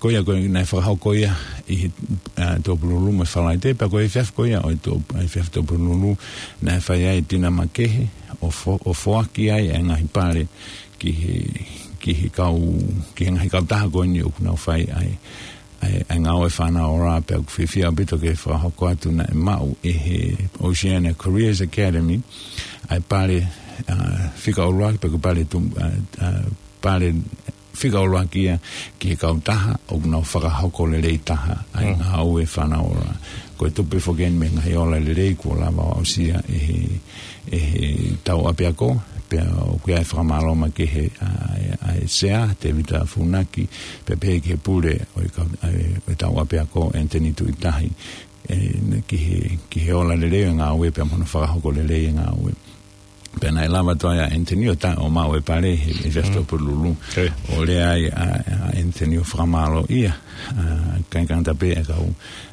Ko ia ko ē naʻe fakahoko ia ʻi he, ʻa, Tuʻapululu mo e Falaite, pea ko e efiafi ko ia ʻo e Tuʻa-, efiafi Tuʻapululu naʻe fai ai e tina makehe ʻo fo-, ʻo foaki ai e ngaahi pale ki he, ki he kau, ki he ngaahi kautaha ko eni ʻoku nau fai ai ʻa e, ʻa e ngāue ʻa e Fānaola. Pea ʻoku fiefia ʻaupito ke fakahoko atu naʻe maʻu ʻe he Oceania Careers Academy ʻa e pale, ʻa, fika ʻuluaki, pe ko e pale tu-, ʻa, ʻa, pale fika ʻuluaki ia ki he kautaha ʻoku nau fakahoko lelei taha ʻa e ngāue ʻa e Fānaola. Ko e tupe foki eni mei he ngaahi ola lelei kuo lava ʻo aʻusia ʻe he, ʻe he tau ʻapiako, pea ʻoku ʻi ai e fakamālō makehe ʻa, ʻa e Sea, Tēvita Funaki, pea pehē ki he pule ʻo e kau-, ʻa e, ʻo e tau ʻapiako, Anthony Tuʻitahi, ʻe, ne ki he, ki he ola lelei ʻo e ngāue pea mo hono fakahoko lelei e ngāue. Pea naʻe lava atu ai ʻa Anthony ʻo ta-, ʻo maʻu e pale he, he efiafi Tuʻapululu. ʻO lea ai ʻa, ʻa Anthony ʻo fakamālōʻia, ʻa, ʻikai ngata pē ʻa e kau,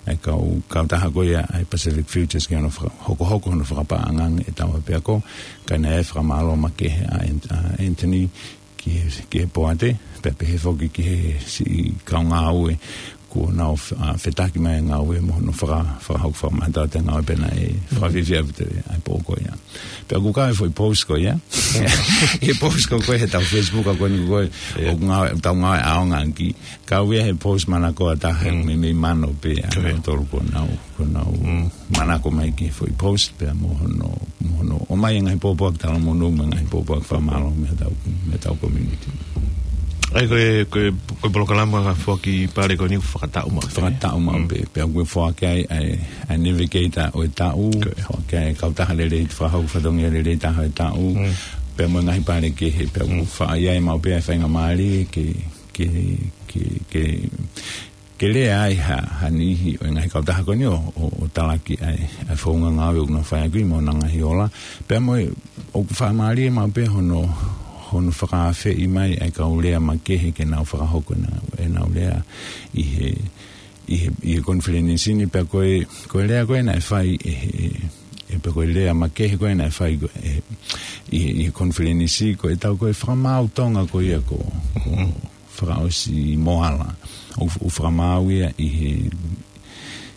ʻa e kau, kautaha ko ia ʻa e Pacific Futures ki hono faka-, hokohoko hono fakapaʻanga e tau ʻapiako, ka naʻe fakamālō makehe ʻa An-, ʻa Anthony ki he, ki he poate, pea pehē foki ki he siʻi kau ngāue kuo nau f-, ʻa, fetaki mai e ngāue mo hono faka-, fakahoko fakamātoato e ngāue. Pea naʻe fakafiefia ʻaupito ʻa e pō ko ia. Pea ʻoku kau e foʻi post ko ia. He post ko ē he tau Facebook ko eni ko ē, ʻoku ngāue, tau ngāue ʻaonga ki. Kau ia he post manakoa taha, meimei mano pē ʻa nautolu kuo nau, kuo nau manako mai ki he foʻi post, pea mo hono, mo hono ʻomai e ngaahi pōpoaki talamonū mo e ngaahi pōpoaki fakamālō mei he tau, mei he tau community. ʻA ia ko e, ko e, ko e polokalama foaki pale ko eni ʻoku fakataʻu maʻu pē. Fakataʻu maʻu pē, pea ʻoku foaki ai ʻa e, ʻa e Navigator ʻo e taʻu, foaki ai e kautaha lelei, fakahoko fatongia lelei taha ʻo e taʻu, pea mo e ngaahi pale kehe, pea ʻoku fai ai maʻu pē ʻa e faingamālie ke, ke, ke, ke ke lea ai ha, ha niʻihi ʻo e ngaahi kautaha ko eni ʻo, ʻo, ʻo talaki ʻa e, ʻa e founga ngāue ʻoku nau fai ʻaki mo ʻenau ngaahi ola. Pea mo e, ʻoku fakamālie maʻu pē hono, hono fakaafeʻi mai ʻa e kau lea makehe ke nau fakahoko ʻenau, ʻenau lea ʻi he, ʻi he, ʻi he konifelenisi ni. Pea ko e, ko e lea ko ē naʻe fai ʻe he, ʻe pea ko e lea makehe ko ē naʻe fai ko ē, ʻi he, ʻi he konifelenisi ko e tau ko e fakamaau Tonga ko ia ko, ko, fakaʻosi Moala. ʻO, ʻo fakamaau ia ʻi he,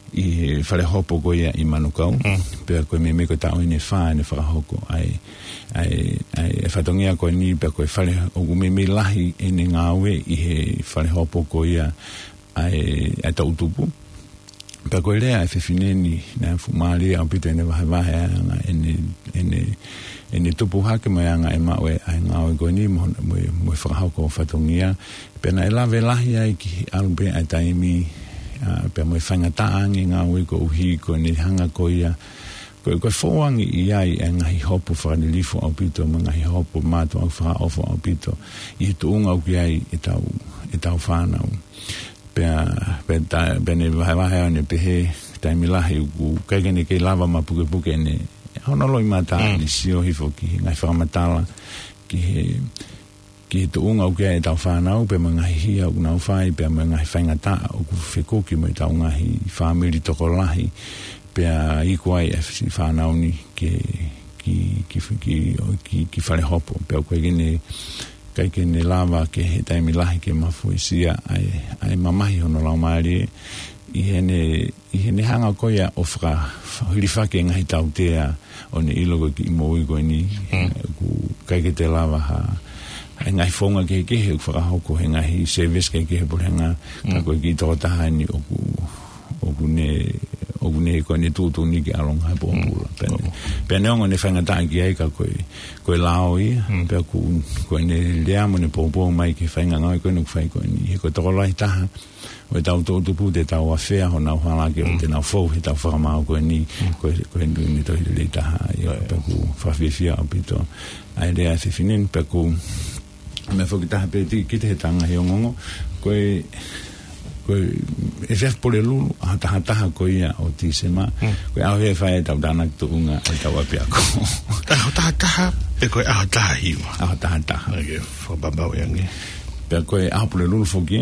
ʻi he fale hopo ko ia ʻi Manukau. Pea ko e meimei ko e taʻu ʻeni ʻe fā ʻene fakahoko ʻa e, ʻa e, ʻa e fatongia ko eni, pea ko e fale ʻoku meimei lahi ʻene ngāue ʻi he fale hopo ko ia ʻa e, ʻa e toʻutupu. Pea ko e lea ʻa e fefine ni, naʻe fuʻu mālie ʻaupito ʻene vahevahe ʻa e anga ʻene, ʻene, ʻene tupu hake mo e anga e maʻu e, ʻa e ngāue ko eni mo, mo, mo e fakahoko fatongia. Pea naʻe lave lahi ai ki he ʻalu pē ʻa e taimi, ʻa, pea mo e faingataʻa ange ngāue koeʻuhi ko ʻene hanga ko ia, ko, ko e fou ange ʻi ai e ngaahi hopo fakalilifu ʻaupito, mo e ngaahi hopo mātuʻaki fakaʻofoʻofa ʻaupito, ʻi he tuʻunga ʻoku ʻi ai e tau, e tau fānau. Pea, pea ta-, pea ne vahevahe ʻo ne pehē, taimi lahi ʻoku ʻikai ke ne kei lava mapukepuke ʻene, hono loʻimata ʻene sio hifo ki he ngaahi fakamatala, ki he, ki he tuʻunga ʻoku ʻi ai e tau fānau, pea mo e ngaahi hia ʻoku nau fai, pea mo e ngaahi faingataʻa ʻoku fekuki mo e tau ngaahi fāmili tokolahi, pea iku ai e siʻi fānau ni ke, ki, ki, ki, ki, ki fale hopo. Pea ʻoku ʻikai ke ne ʻikai ke ne lava ke he taimi lahi ke mafuesia ʻa e, ʻa e mamahi hono laumālie ʻi heʻene, ʻi heʻene hanga ko ia ʻo faka-, hilifaki e ngaahi tautea ʻo ne ʻilo ko e kiʻi moʻui ko eni, ʻoku ʻikai ke te lava ha, ʻa e ngaahi founga kehekehe ʻoku fakahoko he ngaahi service kehekehe puleʻanga, ka ko e kiʻi tokotaha eni ʻoku, ʻoku ne ʻoku ne ko ʻene tuʻutuʻuni ke ʻalu ʻo ngāue pōpula. Pea ne, pea neongo ʻene faingataʻa ki ai ka ko e, ko e lao ia, pea ʻoku, ko ʻene lea mo ʻene poupou mai ki he faʻahinga ngāue ko eni ʻoku fai ko eni. He ko e tokolahi taha ʻo ʻetau toʻutupu te tau afea honau hala ke ʻoua te nau fou heʻetau fakamaau ko eni, ko e, ko e ʻuhinga tohi lelei taha ia, pea ʻoku fakafiefia ʻaupito ʻa e lea ʻa e fefine ni, pea ʻoku meʻa foki taha pē ʻoku kiʻi taʻengata he ongoongo, ko e, ko e efiafi Pulelulu, ʻaho taha taha ko ia ʻo Tīsema, ko e ʻaho ia ʻe fai ai ʻetau tānaki tuʻunga ʻetau ʻapiako. ʻAho taha taha, pe ko e ʻaho taha hiva? ʻAho taha taha. ʻOku fakapapauʻi ange. Pea ko e ʻaho Pulelulu foki,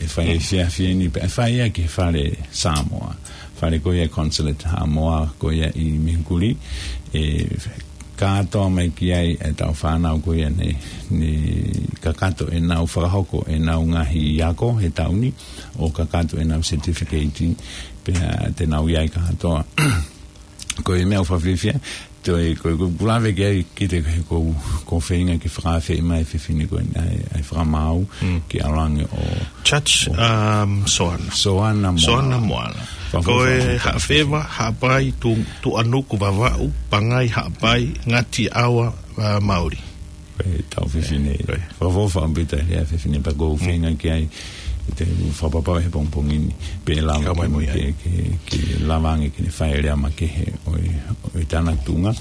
ʻe fai e efiafi ni, pea ʻe fai ia ki he fale Samoa. Fale ko ia ʻa e Consulate Samoa, ko ia ʻi Mihukuli, ʻe kātoa mai ki ai ʻetau fānau ko ia ne, ne kakato ʻenau fakahoko ʻenau ngaahi ako he taʻu ni, ʻo kakato ʻenau certificate, pea te nau ʻi ai kātoa. Ko e meʻa ʻoku fakafiefia, toe, ko, ko, ʻoku lave ki ai kiʻi taʻengata he ʻoku, ʻoku feinga ke fakaafeʻi mai e fefine ko eni ʻa e, ʻa e fakamaau, ke ʻalu ange ʻo Judge, um, Soana. Soana Moala. Soana Moala. Fa-, fa-, ko e fa-, fa-, Haʻafeva, Haʻapai, Tu-, Tuʻanuku, Vavaʻu, Pangai, Haʻapai, Ngāti ʻAua, uh, Mauli. Ko ʻetau fefine. Ko e. Fakaʻofoʻofa ʻaupito e lea ʻa e fefine pea ʻoku ou feinga ki ai, te u fakapapauʻi he pongipongi ni, pe ʻe lava ke, ke, ke lava ange ke ne fai e lea makehe ʻo e, ʻo e tānaki tuʻunga.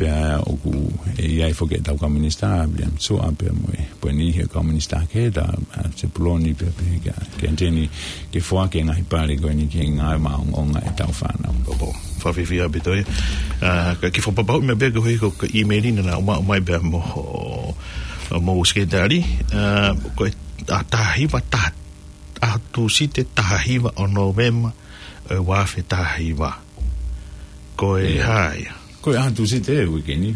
Pea ʻoku ʻi ai foki ʻetau kau minisitā, William Suʻa, pea mo e, pea niʻihi e kau minisitā kehe, ʻa Sepuloni, pea pehē kia, kia Teni, ke foaki e ngaahi pale ko eni ki he ngāue maʻongoʻonga ʻetau fānau. Fakafiefia ʻaupito ia. ʻA, ka kiʻi fakapapauʻi mai pē ko e hoko ko e email ni naʻa ku maʻu mai pea mo, mo Sekelitali. ʻA, ko e, ʻa, taha hiva, taha, ʻa, Tūsite taha hiva ʻo Nōvema, ʻe, ua afe taha hiva. Ko e hā ia? Ko e ʻaho Tūsite ʻo e uike ni.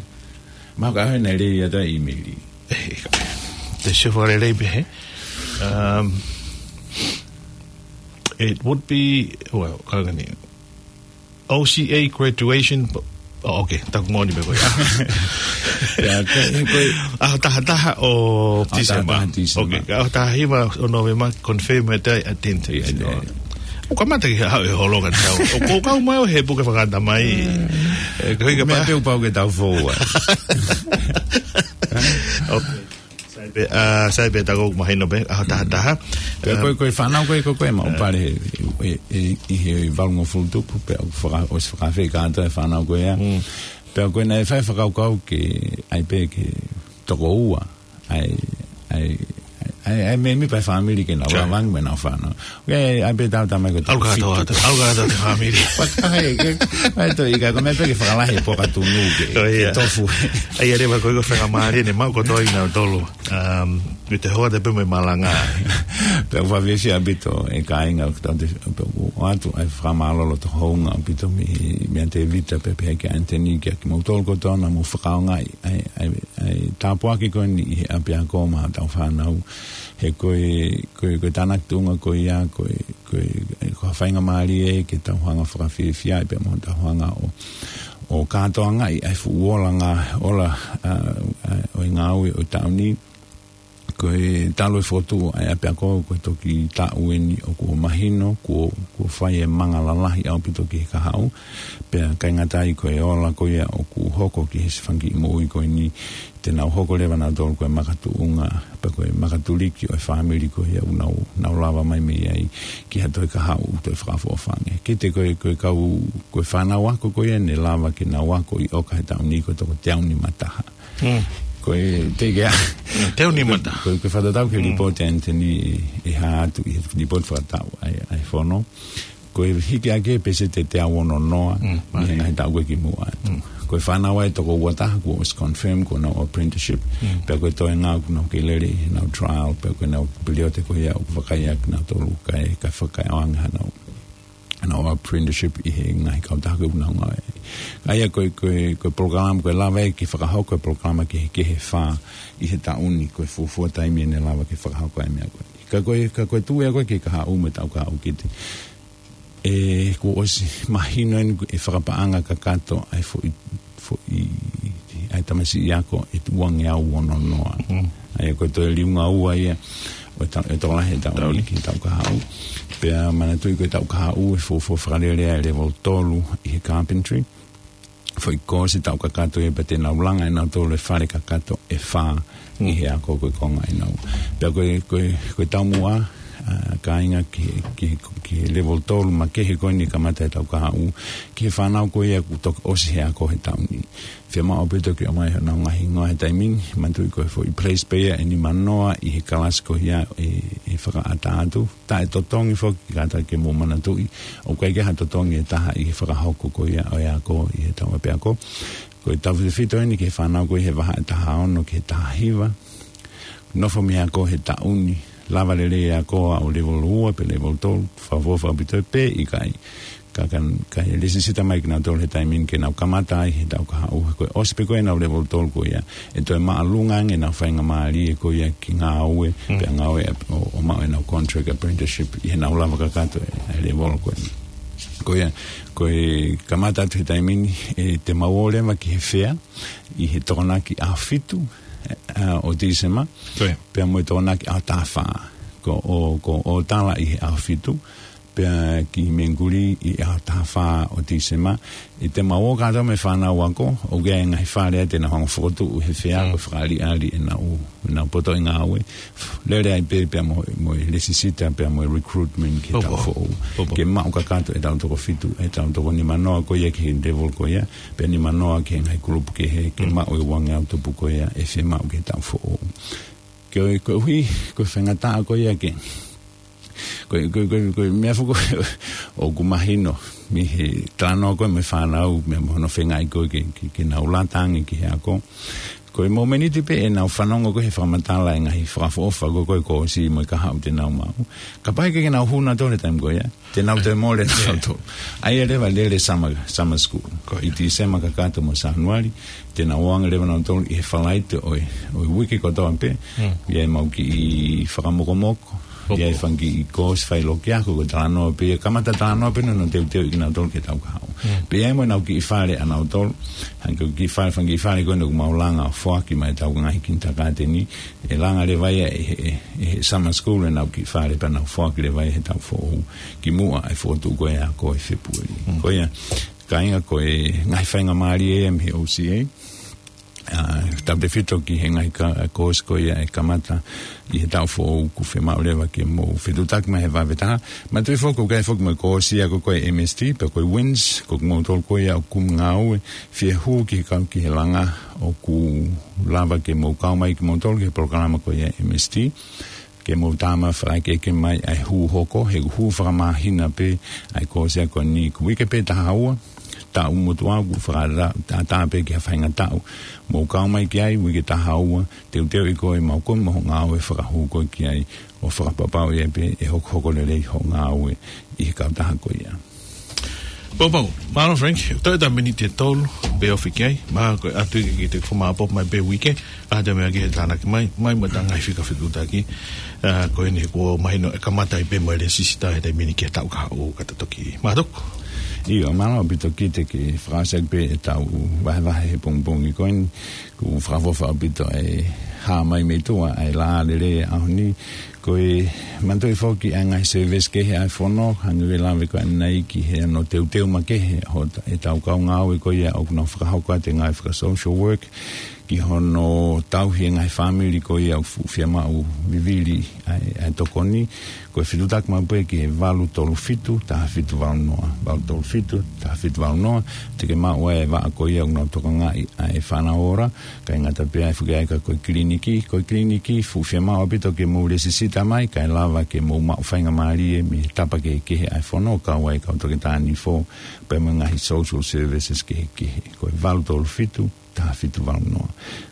Mahalo ko e ʻaho naʻe lele atu ai e email. ʻE, te sio fakalelei pē hē. Um, it would be, well, ka ko eni. O C A graduation, oh, okay, taku moʻoni pē ko ia. ʻIo, ko e, ko e ʻaho taha taha ʻo Tīsema. Taha taha Tīsema. Okay, ka ʻaho taha hiva ʻo Nōvema, confirm e tai attendance. ʻIo, ʻio. ʻOku kamata ke haʻu e holo ka tau. ʻOku kau mai ʻo he puke fakatamai. ʻE, ko e meʻa pē ʻoku pau ke tau fou ai. Okay. Sai pē, ʻa, sai pē taku mahino pē, ʻaho taha taha. Pea ko e, ko e fānau ko e, ko e, ko e maʻu pale he, he, he, ʻi he valungofulu tupu, pea ʻoku faka-, ʻosi fakaafeʻi kātoa e fānau ko ia. Pea ko e naʻe fai fakakaukau ke ʻai pē ke toko ua ʻa e, ʻa e, ʻa e, ʻa e mēmipa e fāmili ke nau lava ange mo ʻenau fānau. ʻOku ʻi ai pē tau tamai ko e ʻalu kātoa, ʻalu kātoa e fāmili. Pea ʻai ke, ʻai to ika ko e meʻa pē ke fakalahi e puaka tunu ke, ke tofu. ʻAi ʻa e leva ko e ko e faingamālie ne maʻu kotoa ʻi nautolu. Um, ʻi he hoa te pē mo e malanga. Pea ʻoku fakafiefia ʻaupito e kāinga ʻoku tau te, pea ʻoku ʻoatu ai e fakamālō loto houngaʻia ʻaupito mei, mei a Tēvita pea pehē kia Anthony kia kimoutolu kotoa naʻa mou fakaʻaongaʻi ʻa e, ʻa e, ʻa e tāpuaki ko eni ʻi he ʻapiako maʻa hotau fānau. He ko e, ko e, ko e tānaki tuʻunga ko ia, ko e, ko e, ko e faingamālie ke tau hanga ʻo fakafiefia ai pea mo tau hanga ʻo, ʻo kātoangaʻi ʻa e fuʻu ola ngā, ola, ʻa, ʻa, ʻo e ngāue ʻo e taʻu ni. Ko e talu e fokotuʻu ʻa e ʻapiako ko e toki taʻu eni ʻoku mahino, kuo, kuo fai e manga lalahi ʻaupito ki he kahaʻu. Pea ʻikai ngata ai ko e ola ko ia ʻoku hoko ki he siʻi fanga kiʻi moʻui ko eni, te nau hoko leva nautolu ko e makatuʻunga, pea ko e makatuliki ʻo e fāmili ko ia ʻoku nau, nau lava mai mei ai ki ha toe kahaʻu toe fakaʻofoʻofa ange. Kiate ko e, ko e kau, ko e fānau ako ko ia ne lava ke nau ako ʻi ʻOka he taʻu ni ko e toko teau nima taha. Ko e teʻeki ai. Teau nima taha. Ko e, ko e fakatatau ki he lipooti ʻa Anthony ʻe hā atu ʻi he lipooti fakataʻu ʻa e, ʻa e fono. Ko e hiki ake pēseti ʻe teau ono noa, ʻi he ngaahi taʻu ko ē kimuʻa atu. Ko e fānau ʻe toko ua taha kuo ʻosi confirm ko honau apprenticeship. Pea ko e toenga kuo nau kei lele ʻi heʻenau trial, pea ko ʻenau piliote ko ia ʻoku vakai ʻaki nautolu kae, kae fakaʻaongaʻi hanau, hanau apprenticeship ʻi he ngaahi kautaha ko ē ʻoku nau ngāue. ʻA ia ko e, ko e, ko e polokalama, ko e lava ia ke fakahoko e polokalama kehekehe ʻe fā ʻi he taʻu ni, ko e fuofua taimi ʻe ne lava ke fakahoko ai e meʻa ko ē. Ka ko e, ka ko e tuʻu ia ko ē ki he kahaʻu mo e tau kahaʻu kiate. ʻE, kuo ʻosi mahino eni ʻe fakapaʻanga kakato ʻa e foʻi, foʻi, ʻa e tamasiʻi ako ʻe tuʻu ange au ono noa. ʻA ia ko e toe liunga ua ia, ʻo e tau, ʻe tokolahi e taʻu ni ki he taʻu kahaʻu. Pea manatuʻi ko e taʻu kahaʻu ʻe fuofua fakalele ai e level tolu ʻi he carpentry. Foʻi koosi taʻu kakato ia pea te nau langa ʻe nautolu e fale kakato ʻe fā ʻi he ako ko e konga ʻenau. Pea ko e, ko e, ko e taumuʻa, ʻa, kāinga ki, ki, ki he level tolu makehe ko eni kamata e taʻu kahaʻu, ki he fānau ko ia kuo toki ʻosi he ako he taʻu ni. Fiemaʻu ʻaupito ke ʻomai honau ngaahi hingoa he taimi ni, manatuʻi ko e foʻi place pē ia ʻe nima noa ʻi he kalasi ko ia ʻe, ʻe fakaʻatā atu. Taʻe totongi foki, kātaki ke mou manatuʻi, ʻoku ʻikai ke ha totongi ʻe taha ʻi he fakahoko ko ia ʻo e ako ʻi he taʻu ʻapiako. Ko e tautefito eni ki he fānau ko ia he vahaʻa ʻe taha ono ki he taha hiva. Nofo mei he ako he taʻu ni, lava lelei e ako ʻo level ua pe level tolu, fakaʻofoʻofa ʻaupito pē ʻikai. Ka, ka, ka ʻe lesisita mai kinautolu he taimi ni ke nau kamata ai he taʻu kahaʻu, ko e ʻosi pē ko ē ʻenau level tolu ko ia, ʻe toe māʻolunga ange ʻenau faingamālie ko ia ki he ngāue, pea ngāue ʻo, ʻo maʻu ʻenau contract apprenticeship ʻi heʻenau lava kakato e, e level ko eni. Ko ia, ko e kamata atu he taimi ni, ʻe te mau ō leva ki he fea ʻi he Tokonaki ʻaho fitu, ʻa, ʻo Tīsema, pea mo e Tokonaki ʻaho taha fā. Ko ʻo, ko ʻo tala ʻi he ʻaho fitu, pea ki Menguli ʻi he ʻaho taha fā ʻo Tīsema. ʻE te mau ō kātoa mo e fānau ako, ʻoku ʻi ai e ngaahi fale ia te nau hanga ʻo fokotuʻu he fea ko e fakaʻaliʻali ʻenau, ʻenau poto ʻi he ngāue. Lele ai pē pea mo, mo e lesisita, pea mo e recruitment ki he taʻu foʻou. Ke maʻu kakato ʻetau toko fitu, ʻetau toko nima noa ko ia ki he level ko ia, pea nima noa ki he ngaahi kulupu kehe, ke maʻu e uangeau tupu ko ia ʻe fiemaʻu ki he taʻu foʻou. Ke ʻoku, koeʻuhi, ko e faingataʻa ko ia ke Ko e, ko e, ko e, ko e meʻa foki ʻoku mahino mei he talanoa ko ē mo e fānau, meʻa mo hono feingaʻi ko ē ke, ke, ke nau lata ange ki he ako. Ko e momeniti pē ʻenau fanongo ko ē he fakamatala e ngaahi fakaʻofoʻofa ko ē ko ē ʻoku ʻosi mo e kahaʻu te nau maʻu. Kapau ʻe ʻikai ke nau hū nautolu he taimi ko ia, te nau toe mole nautolu. ʻA ia leva lele summer, summer school. ʻI Tīsema kakato mo Sānuali, te nau ō ange leva nautolu ʻi he Falaite ʻo e, ʻo e uike kotoa pē. ʻI ai ʻemau kiʻi fakamokomoko. ʻI ai e fanga kiʻi koosi failokiako, ko e talanoa pē ia, kamata talanoa pē nautolu teuteu ʻi kinautolu ki he taʻu kahaʻu. Pea ʻi ai mo ʻenau kiʻi fale ʻanautolu, hangē ko e kiʻi fale, fanga kiʻi fale ko ē ʻoku mau langa ʻo foaki mai ʻetau ngaahi kinitakāteni, ʻe langa leva ia ʻe he, ʻe, ʻe he summer school ʻenau kiʻi fale pea nau foaki leva ia he taʻu foʻou, kimuʻa ʻa e fokotuʻu ko ē ako ʻi Fēpueli. Ko ia, kāinga, ko e ngaahi faingamālie ia mei he O C A. ʻA, tautefito ki he ngaahi ka-, koosi ko ia ʻe kamata ʻi he taʻu foʻou, ʻoku fiemaʻu leva ke mou fetuʻutaki mai he vave taha. Manatuʻi foki ʻoku ʻi ai foki mo e koosi ako ko ē M S T, pea ko e WINZ, ko kimoutolu ko ia ʻoku kumi ngāue, fie hū ki he kau ki he langa, ʻoku lava ke mou kau mai kimoutolu ki he polokalama ko ia M S T. Ke mou tama fakaʻekeʻeke mai ʻa e hū hoko, he ʻoku hū fakamāhina pē ʻa e koosi ako ni, ko e uike pē ʻe taha ua, taʻu motuʻa ʻoku fakaʻatā, ʻatā pē ki ha faʻahinga taʻu. Mou kau mai ki ai, uike ʻe taha ua, teuteuʻi koe ʻe maʻu koe mo hoʻo ngāue fakahū ko ē ki ai, ʻo fakapapauʻi ai pē ʻe hokohoko lelei hoʻo ngāue ʻi he kautaha ko ia. Poupou, mālō Frank, toe ʻetau miniti ʻe tolu pē ofi ki ai, mahalo ko e ʻatu ia ke te kau maʻu pē mai pē uike, ʻa e meʻa ki he tānaki mai, mai mo e ngaahi fika fetuʻutaki, ʻa, ko eni kuo mahino ʻe kamata ai pē mo e lesisita he taimi ni ki he taʻu kahaʻu ka ta toki mātuku. ʻIo, mālō ʻaupito Kite, ke fakaʻosi ʻaki pē ʻetau vahevahe he pongipongi ko eni, ʻoku fakaʻofoʻofa ʻaupito e hā mai mei tuʻa, ʻa e laʻā lelei ʻo e ʻaho ni, ko e manatuʻi foki ʻa e ngaahi service kehe ʻa e fono, hangē ko e lave ko ē ʻanenai ki he ʻenau teuteu makehe ʻo ta-, ʻetau kau ngāue ko ia ʻoku nau fakahoko atu e ngaahi faka-social work, ki hono tauhi e ngaahi fāmili ko ia ʻoku fuʻu fiemaʻu vivili ʻa e, ʻa e tokoni, ko e fetuʻutaki maʻu pē ki he valu tolu fitu, taha fitu valu noa, valu tolu fitu, taha fitu valu noa, te ke maʻu ai e vaʻa ko ia ʻoku nau tokangaʻi ʻa e fānau ora, kae ʻikai ngata pē ai, foki ai ka ko e kiliniki, ko e kiliniki, fuʻu fiemaʻu ʻaupito ke mou lesisita mai, kae lava ke mou maʻu faingamālie mei he tapa kehekehe ʻa e fono, kau ai e kau toketā nifo, pea mo e ngaahi social services kehekehe. Ko e valu tolu fitu, taha fitu valu noa.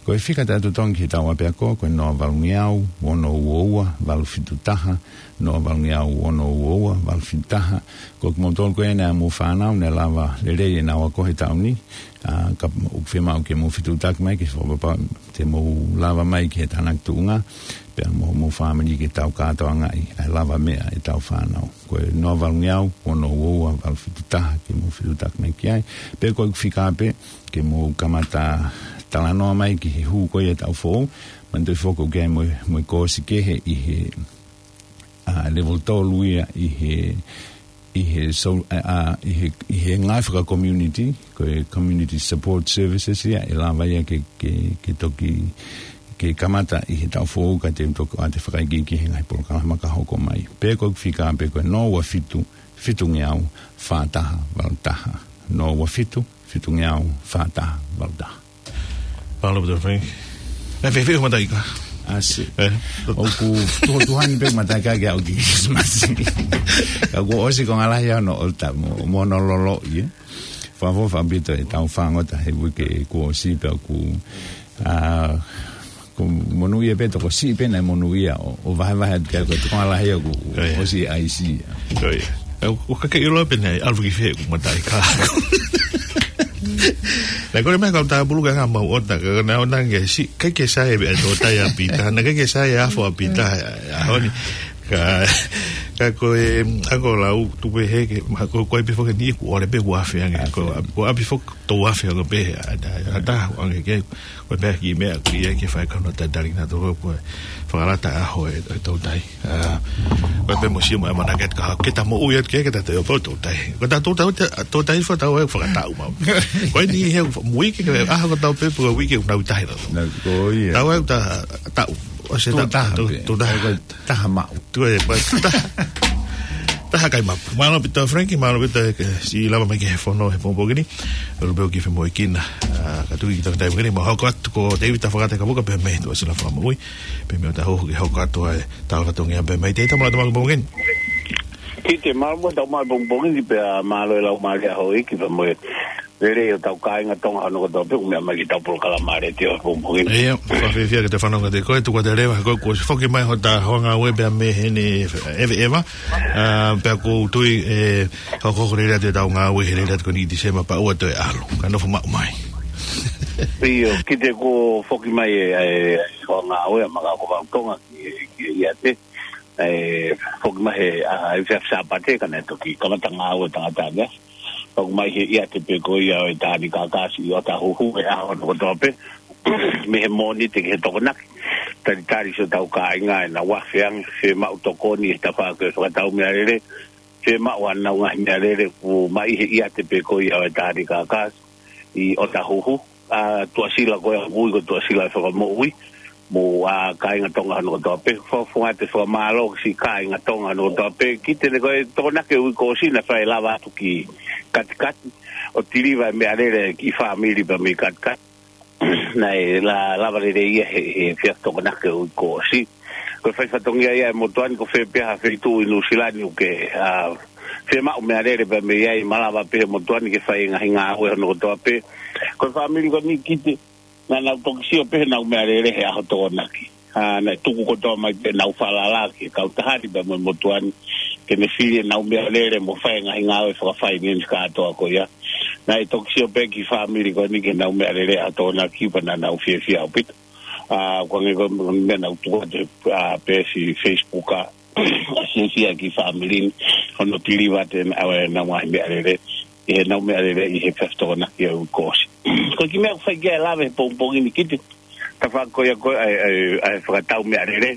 Ko e fika taʻetotongi ki he taʻu ʻapiako, ko e noa valungeau, ono ua ua, valu fitu taha, noa valungeau, ono ua ua, valu fitu taha. Ko kimoutolu ko ē naʻa mou fānau, naʻe lava lelei ʻenau ako he taʻu ni, ʻa, ka ʻoku fiemaʻu ke mou fetuʻutaki mai, ke fakapapauʻi te mou lava mai ki he tānaki tuʻunga, pea mo, mo e fāmili ke tau kātoangaʻi ʻa e lavameʻa ʻetau fānau. Ko e noa valungeau, ono ua ua, valu fitu taha, ke mou fetuʻutaki mai ki ai. Pea ko e fika pē, ke mou kamata talanoa mai ki he hū ko ia e taʻu foʻou, manatuʻi foki ʻoku ʻi ai mo e, mo e koosi kehe ʻi he, ʻa, level tolu ia ʻi he, ʻi he, so-, ʻa, ʻa, ʻi he, ʻi he ngaahi faka-community, ko e community support services ia, ʻe lava ia ke, ke, ke toki, ke kamata ʻi he taʻu foʻou ka te u toki ʻoatu e fakaikiiki he ngaahi polokalama ka hoko mai. Pea ko e fika pē ko e noa ua fitu, fitungeau fā taha valu taha. Noa ua fitu, fitungeau fā taha valu taha. Mālō ʻaupito, Frank. Naʻe fēfē hoʻo mataʻikā? ʻAsi. ʻE? ʻOku tuha-, tuhani pē mataʻikā ke aʻu ki Christmas. Ka kuo ʻosi konga lahi ʻa hono ʻota mo, mo hono loloʻi, ē. Fakaʻofoʻofa ʻaupito ʻetau fāngota he uike kuo ʻosi pea ʻoku, ʻa, ʻoku monūʻia pē, tokosiʻi pē naʻe monūʻia ʻo, ʻo vahevahe atu ki ai ko e konga lahi ʻoku, ʻOku ʻikai. ʻOsi ʻaisi. ʻOku ʻikai. ʻE, ʻoku ʻikai ke ʻilo pē naʻe ʻalu ki fē ʻeku mataʻikā. Naʻe kole mai kau tāpulu ke anga mau ʻota, ka naʻe ʻoange siʻi, ʻikai ke sai e tōtai ʻa Pita, naʻe ʻikai ke sai e afo ʻa Pita, ʻa, ʻa honi. Ka, ka ko e, ako lau, tupe heke, ma ko, ko e pē foki ni, kuo ʻosi pē kuo afe ange, ko, kuo ʻapi foki, tau afe ange pē, ʻa, ʻa, ʻa, ta, ange ke, ko e meʻa ki meʻa, ki ai ke fai kano tatali na toko, ko e fakalata ʻa hoʻo, e tōtai. ʻA, ko e pē mo sio mo e mana ke ka, ke ta moʻui atu ke, ke ta te o po tōtai. Ko ta tōtai, tōtai fo tau e fakatau mau. Ko e ni he, mo uike ke, ʻa, ko tau pē, po uike, nau tahi na. Na, ko ia. Tau e ta, tau. ʻOsi Tō ta, taha tō, pē. Tō taha. Ko e taha maʻu. Tuʻu e, pa, taha. Taha kai mapu. Mālō ʻaupito Frank, mālō ʻaupito e, ke siʻi lava mai ki he fono he pongipongi ni. ʻOku pehē ʻoku ke femoʻuekina. ʻA, ka tuʻu ki he taimi ni, mau hoko atu ko David Tafakata Kapuka pea mei he Tuʻasila Fakamoʻui. Pea mei ʻOtahuhu ke hoko atu ai e tala fatongia pea mei te tau mālō atu mai pongipongi ni. Kite, mālō ʻaupito tau mai pongipongi ni pea mālō e lau mālie ʻa houʻeiki pea mo e lelei ʻo hotau kāinga Tonga hono kotoa pē ʻoku meʻa mai ki heʻetau polokalama letiō he pongipongi ni. ʻIo, fakafiefia ke te fanongo atu koe, tuku atu e leva, ko e kuo ʻosi foki mai hota hoa ngāue pea mei heni ʻEveʻeva. ʻA, pea ʻoku ou tui ʻe hokohoko lelei atu ʻetau ngāue he lelei atu ko eni ʻi Tīsema pea ʻoua toe ʻalu. Ka nofo maʻu mai. ʻIo, Kite, kuo foki mai e, e, e hoa ngāue ʻa Makaʻokovau Tonga ki, ki ʻIate. ʻE, foki mai he, ʻa, efiafi Sāpate ka naʻe toki kamata ngāue tangata ange. Foki mai he ʻiate pē ko ia ʻo e Taʻanikakasi ʻi ʻOtahuhu he ʻaho hono kotoa pē. Mei he Mōnite ki he Tokonaki. Talitali siʻotau kāinga ʻenau afe ange, fiemaʻu tokoni he tafaʻaki ʻo e fakatau meʻalele. Fiemaʻu haʻanau ngaahi meʻalele ʻoku maʻu he ʻiate pē ko ia ʻo e Taʻanikakasi ʻi ʻOtahuhu. ʻA, Tuʻasila ko ia ʻoku ui ko Tuʻasila Fakamoʻui. Mo, ʻa, kāinga Tonga hono kotoa pē. Fakafofonga atu e fakamālō ki siʻi kāinga Tonga hono kotoa pē. Kite, ne ko e Tokonaki ʻo e uike kuo ʻosi naʻe fai e lava atu ki Katikati ʻo tiliva e meʻalele ki he fāmili pea mei Katikati. Naʻe la-, lava lelei ia he, he efiafi Tokonaki ʻo e uike kuo ʻosi. Ko e fai fatongia ia e motuʻa ni, ko fē pē ha feituʻu ʻi Nuʻusila ni ʻoku ke, ʻa, fiemaʻu meʻalele pea mei ai, malava pē he motuʻa ni ke fai e ngaahi ngāue hono kotoa pē. Ko e fāmili ko eni, Kite, naʻa nau toki sio pē heʻenau meʻalele he ʻaho Tokonaki. ʻA, naʻe tuku kotoa mai pē ʻenau falala ki he kautaha ni pea mo e motuʻa ni ke ne fili ʻenau meʻalele mo fai e ngaahi ngāue fakafinance kātoa ko ia. Naʻe toki sio pē e kiʻi fāmili ko eni ki heʻenau meʻalele ʻaho Tokonaki pea naʻa nau fiefia ʻaupito. ʻA, ko e hangē ko e meʻa naʻa ku tuku atu he, ʻa, peesi Facebook, ʻa, ʻa, fiefia e kiʻi fāmili ni hono tiliva atu ʻenau, ʻenau ngaahi meʻalele, ʻi heʻenau meʻalele ʻi he efiafi Tokonaki ʻo e uike kuo ʻosi. Ko e kiʻi meʻa ʻoku fai ki ai e lave he pongipongi ni, Kite, tafaʻaki ko ia ko e, ʻa e, ʻa e, ʻa e fakatau meʻalele.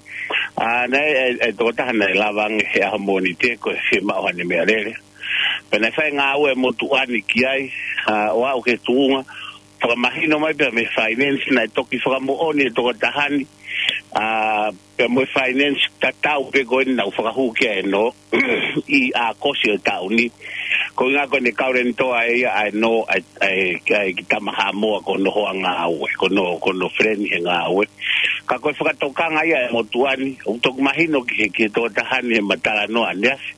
ʻA, naʻe, ʻa e, ʻa e tokotaha naʻe lava ange he ʻaho Mōnite ko e fiemaʻu haʻane meʻalele. Pea naʻe fai e ngāue e motuʻa ni ki ai, ʻa, ʻo aʻu ki he tuʻunga fakamahino mai pea mei he finance naʻe toki fakamoʻoni e tokotaha ni, ʻa, pea mo e finance tatau pē ko eni naʻa ku fakahū ki ai ʻanenai ʻi ʻAokosi ʻo e taʻu ni. Ko e ʻuhinga ko ʻene kauleni toa ʻe ia ʻa ʻanenai, ʻa e, ʻa e, ʻa e kiʻi tama Haʻamoa ko hono hoa ngāue, ko hono, ko hono friend he ngāue. Ka ko e fakatokanga ia e motuʻa ni, ʻoku toki mahino ki he, ki he tokotaha ni heʻema talanoa ʻaneafi.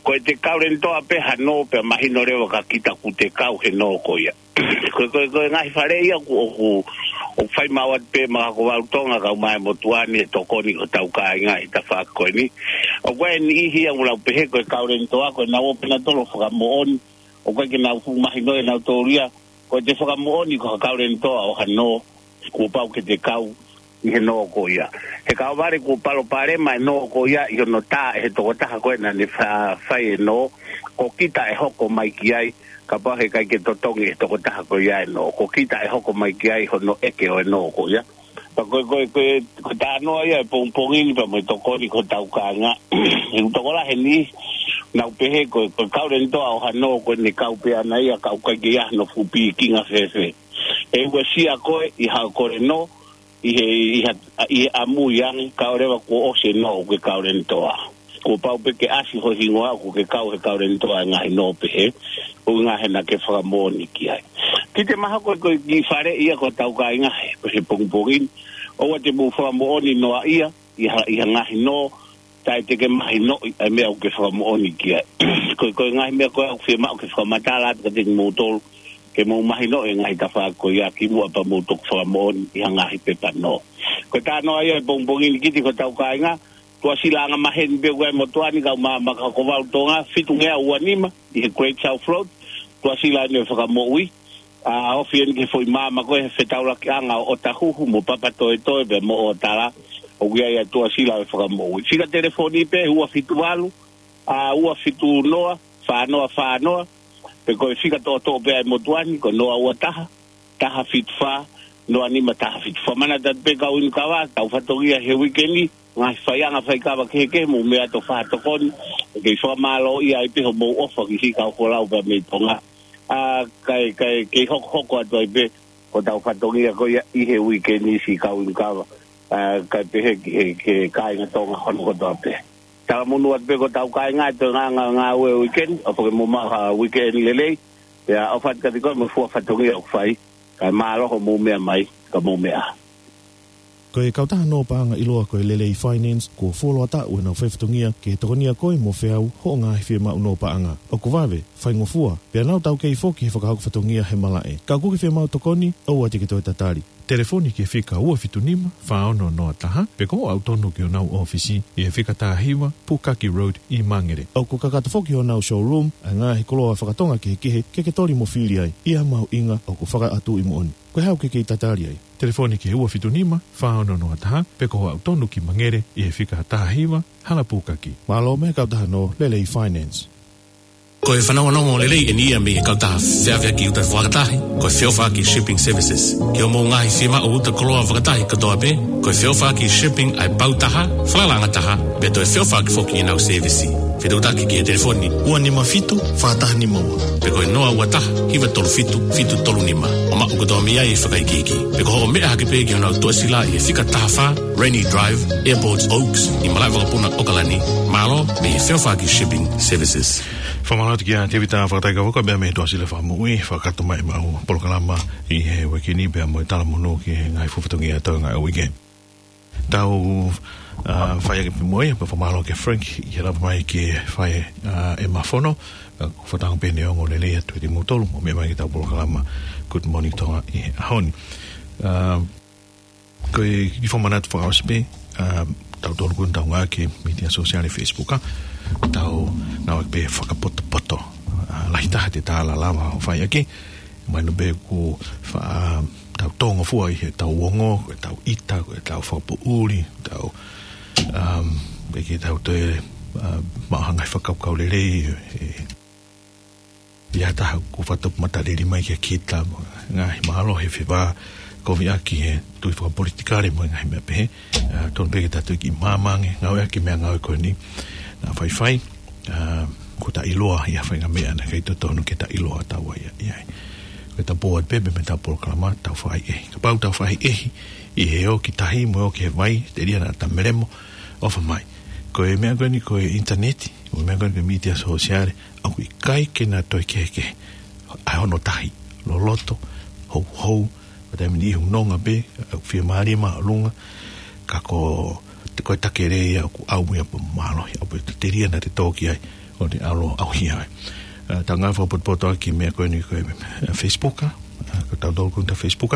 Ko ʻete kauleni toa pē hano pea mahino leva kia kita ʻoku te kau he nō ko ia. Ko e, ko e, ko e ngaahi fale ia ʻoku, ʻoku, ʻoku fai maʻu atu pē ʻe Makaʻokovau Tonga kae ʻumaʻā e motuʻa ni he tokoni ki hotau kāinga ʻi he tafaʻaki ko eni. ʻOku ʻi ai e niʻihi ia ʻoku nau pehē ko e kauleni toa ko ʻenau ō pē ʻo fakamoʻoni. ʻOku ʻikai ke nau fuʻu mahinoʻi ʻe nautolu ia ko ʻete fakamoʻoni ko ha kauleni toa ʻo ha nō, kuo pau ke te kau ʻi he nō ko ia. He kae ʻoua leva kuo palopalema e nō ko ia ʻi hono tā ʻe he tokotaha ko ē naʻa ne fa-, fai e nō, ko kita ʻe hoko mai ki ai, kapau he ʻikai ke totongi e tokotaha ko ia e nō, ko kita ʻe hoko mai ki ai hono ʻeke ʻo e nō ko ia. Pea ko e, ko e, ko e, ko e talanoa ia e pongipongi ni pea mo e tokoni ki hotau kāinga. He ʻoku tokolahi e niʻihi ʻoku nau pehē ko e, ko e kau Lenitoa ʻo ha nō ko ʻene kau pē ʻana ia, ka ʻoku ʻikai ke ʻi ai hano fuʻu pikinga fēfē. ʻE uesia koe ʻi haʻo kole nō, ʻi he, ʻi ha, ʻi he ʻamui ange, kae ʻoua leva kuo ʻosi e nō ʻoku ke kau Lenitoa. Kuo pau pē ke ʻasi ho hingoa ʻoku ke kau he kau Lenitoa e ngaahi nō pehē, ʻuhinga he naʻa ke fakamoʻoni ki ai. Ki te maha ko e, ko e kiʻi faleʻi ia ki hotau kāinga he, he pongipongi ni, ʻoua te mou fakamoʻoni noa ia ʻi ha, ʻi ha ngaahi nō taʻe te ke mahinoʻi ʻa e meʻa ʻoku ke fakamoʻoni ki ai. Ko e, ko e ngaahi meʻa ko ē ʻoku fiemaʻu ke fakamatala atu kiate kimoutolu, ke mou mahinoʻi e ngaahi tafaʻaki ko ia kimuʻa pea mou toki fakamoʻoni ʻi ha ngaahi pepa nō. Ko e talanoa ia e pongipongi ni ki te ki hotau kāinga, Tuʻasila Angamaheni pē ʻoku ʻi ai e motuʻa ni, kau maama ka hoko valu Tonga, fitungeau ua nima, ʻi he Great South Road, Tuʻasila ʻeni ʻo e Fakamoʻui, ʻa, ofi ʻeni ki he foʻi maama ko ē he fetaulakiʻanga ʻo ʻOtahuhu mo Papatoetoe pea mo ʻOtala, ʻoku ʻi ai ʻa Tuʻasila ʻo e Fakamoʻui. Fika telefoni pē ua fitu valu, ʻa, ua fitu noa, fā noa fā noa, pe ko e fika toʻotoʻo pē ʻa e motuʻa ni, ko e noa ua taha, taha fitu fā, noa nima taha fitu. Fakamanatu atu pē kau inu kava, tau fatongia he uike ni, ngaahi faiʻanga faikava kehekehe, mou meʻa atu ʻo fakatokoni, ʻoku kei fakamālōʻia ai pē hoʻomou ʻofa ki siʻi kau folau pea mei Tonga. ʻA, kae, kae, kei hokohoko atu ai pē, ko ʻetau fatongia ko ia ʻi he uike ni siʻi kau inu kava. ʻA, kae pehē ki he, ki he kāinga Tonga hono kotoa pē. Talamonū atu pē ki hotau kāinga, ʻi he ngā, ngā, ngāue uike ni, ʻofa ke mou maʻu ha uike ni lelei, pea ʻofa atu kiate koe mo e fua fatongia ʻoku fai, kae mālō hoʻomou meʻa mai, ka mou meʻa. Ko e kautaha nō paʻanga ʻiloa ko e Lelei Finance, kuo fuoloa taʻu ʻenau faifatongia ke tokonia koe mo feau hoʻo ngaahi fiemaʻu nō paʻanga. ʻOku vave, faingofua, pea nau taukei foki he fakahoko fatongia he malaʻe. Ka ʻoku ke fiemaʻu tokoni, ʻoua te ke toe tatali. Telefoni ki he fika ua fitu nima, fā ono noa taha, pe ko hoʻo aʻu tonu ki honau ʻōfisi ʻi he fika taha hiva, Pukaki Road ʻi Mangere. ʻOku kakato foki honau showroom ʻa e ngaahi koloa fakatonga kehekehe ke ke toli mo fili ai ʻi ha mahuʻinga ʻoku fakaʻatuʻi moʻoni. Ko e hā ʻoku ke kei tatali ai? Telefoni ki he ua fitu nima, fā ono noa taha, pe ko hoʻo aʻu tonu ki Mangere ʻi he fika taha hiva, Hala Pukaki. Mālō mei he kautaha nō Lelei Finance. Ko e fanongonongo lelei ʻeni ia mei he kautaha feʻaveʻaki uta fakatahi, ko e Feʻofaʻaki Shipping Services. Ki hoʻomou ngaahi fiemaʻu uta koloa fakatahi kotoa pē, ko e Feʻofaʻaki Shipping ʻa e pau taha, falalaʻanga taha, pea toe feʻofaʻaki foki ʻenau sēvisi. Fetuʻutaki ki he telefoni ua nima fitu, fā taha nima ua, pe ko e noa ua taha, hiva tolu fitu, fitu tolu nima, ʻo maʻu kotoa mei ai e fakaikiiki. Pe ko hoʻo meʻa hake pē ki honau tuʻasila ʻi he fika taha fā, Rainy Drive, Airport Oaks, ʻi malaʻe vakapuna ʻOkalani. Mālō mei he Feʻofaʻaki Shipping Services. Fakamālō atu kia Tevita Fakataikaua, ko e meʻa mei he Tuʻasila Fakamoʻui, fakakakato mai ʻemau polokalama ʻi he uike ni pea mo e talamonū ki he ngaahi fua fatongia ʻo e ngaahi uike. Tau, ʻa, fai ake pē mo ia, pea fakamālō kia Frank ʻi he lava mai ke fai, ʻa, ʻema fono, ʻa, ko e fakatango pē ʻeni ʻo e ongoongolelei atu kiate kimoutolu, mou meʻa mai ki heʻetau polokalama Good Morning Tonga ʻi he ʻaho ni. ʻA, ko e kiʻi fakamanatu fakaʻosi pē, ʻa, tautolu ko eni tau ngāueʻaki e mītia sōsiale Facebook, ʻa, tau ngāueʻaki pē fakapotopoto, ʻa, lahi taha te tala lava ʻo fai ʻaki, mahino pē ʻoku fa-, ʻa, tau tōngofua ʻi heʻetau ongo, ko ʻetau ʻita, ko ʻetau fakapoʻuli, tau, um, ʻikai ke tau toe, ʻa, maʻu ha ngaahi fakakaukau lelei, ʻe, ʻi ha taha ʻoku fakatupu matalili mai kia kita, mo e ngaahi mālohi fefā, koviʻaki he tui fakapolitikale mo e ngaahi meʻa pehē. ʻA, tonu pē ke tau toe kiʻi maama ange, ngāueʻaki e meʻangāue ko eni naʻa faifai, ʻa, kuo ta ʻiloa ʻi ha faʻahinga meʻa naʻe ʻikai totonu ke ta ʻiloa taua ia ʻi ai. Ko ʻetau pō atu pē mei heʻetau polokalama, tau fakaʻehiʻehi. Kapau tau fakaʻehiʻehi ʻi he ō ki tahi mo e ō ki he vai, telia naʻa ta melemo, ʻofa mai. Ko e meʻa ko eni ko e ʻinitaneti, ko e meʻa ko eni ko e mītia sōsiale, ʻoku ʻikai ke na toe kehekehe. ʻA hono tahi, loloto, houhou, ʻo taimi ni ʻi he nonga pē, ʻoku fiemālie māʻolunga, ka ko, ko e takelē ia ʻoku ʻaumui ʻa e mālohi, ʻa e telia naʻa te tō ki ai, ʻo ne ʻalu ʻo ʻauhia ai. ʻA, tau ngāue fakapotopoto ʻaki e meʻa ko eni ko e, ʻa, Facebook, ʻa, ko tautolu ko eni ʻa e Facebook.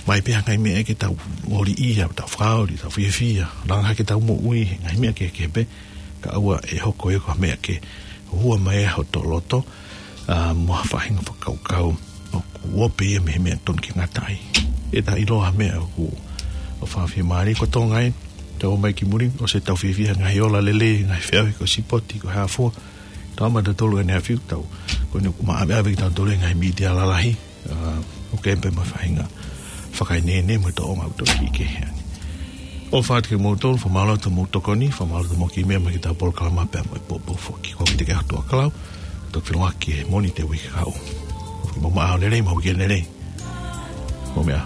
Mai pē ha ngaahi meʻa ke tau ʻoliʻia, tau fakaoli, tau fiefia, langa hake ʻetau moʻui, ngaahi meʻa kehekehe pē, kae ʻoua ʻe hoko ia ko ha meʻa ke hua mai ai hoto loto, ʻa, mo ha faʻahinga fakakaukau ʻoku ope ia mei he meʻa tonu ke ngata ai. ʻE ta ʻiloa ha meʻa ʻoku, ʻoku fakafiemālie ko Tonga ē, tau ō mai ki muli, ʻosi ʻetau fiefia he ngaahi ola lelei, ngaahi feʻauhi ko e sipoti, ko e hā fua, Tau maʻu ʻe tautolu ʻene ʻafiu tau. Ko eni ʻoku maʻu ʻe tautolu e ngaahi mītia lalahi. ʻA, ʻoku ʻi ai pē mo e faʻahinga fakaenenei mo e tōʻonga ʻoku tau kiʻi kehe ai. ʻOfa atu kiate kimoutolu, fakamālō atu hoʻomou tokoni, fakamālō atu hoʻomou kiʻi meʻa mai ki heʻetau polokalama pea mo e poupou foki. Ko au Mite Keahutua Kalau, tau feʻiloaki he Mōnite uike kahaʻu. Ke mou maʻu ʻaho lelei, maʻu uike lelei. Mou meʻa ā.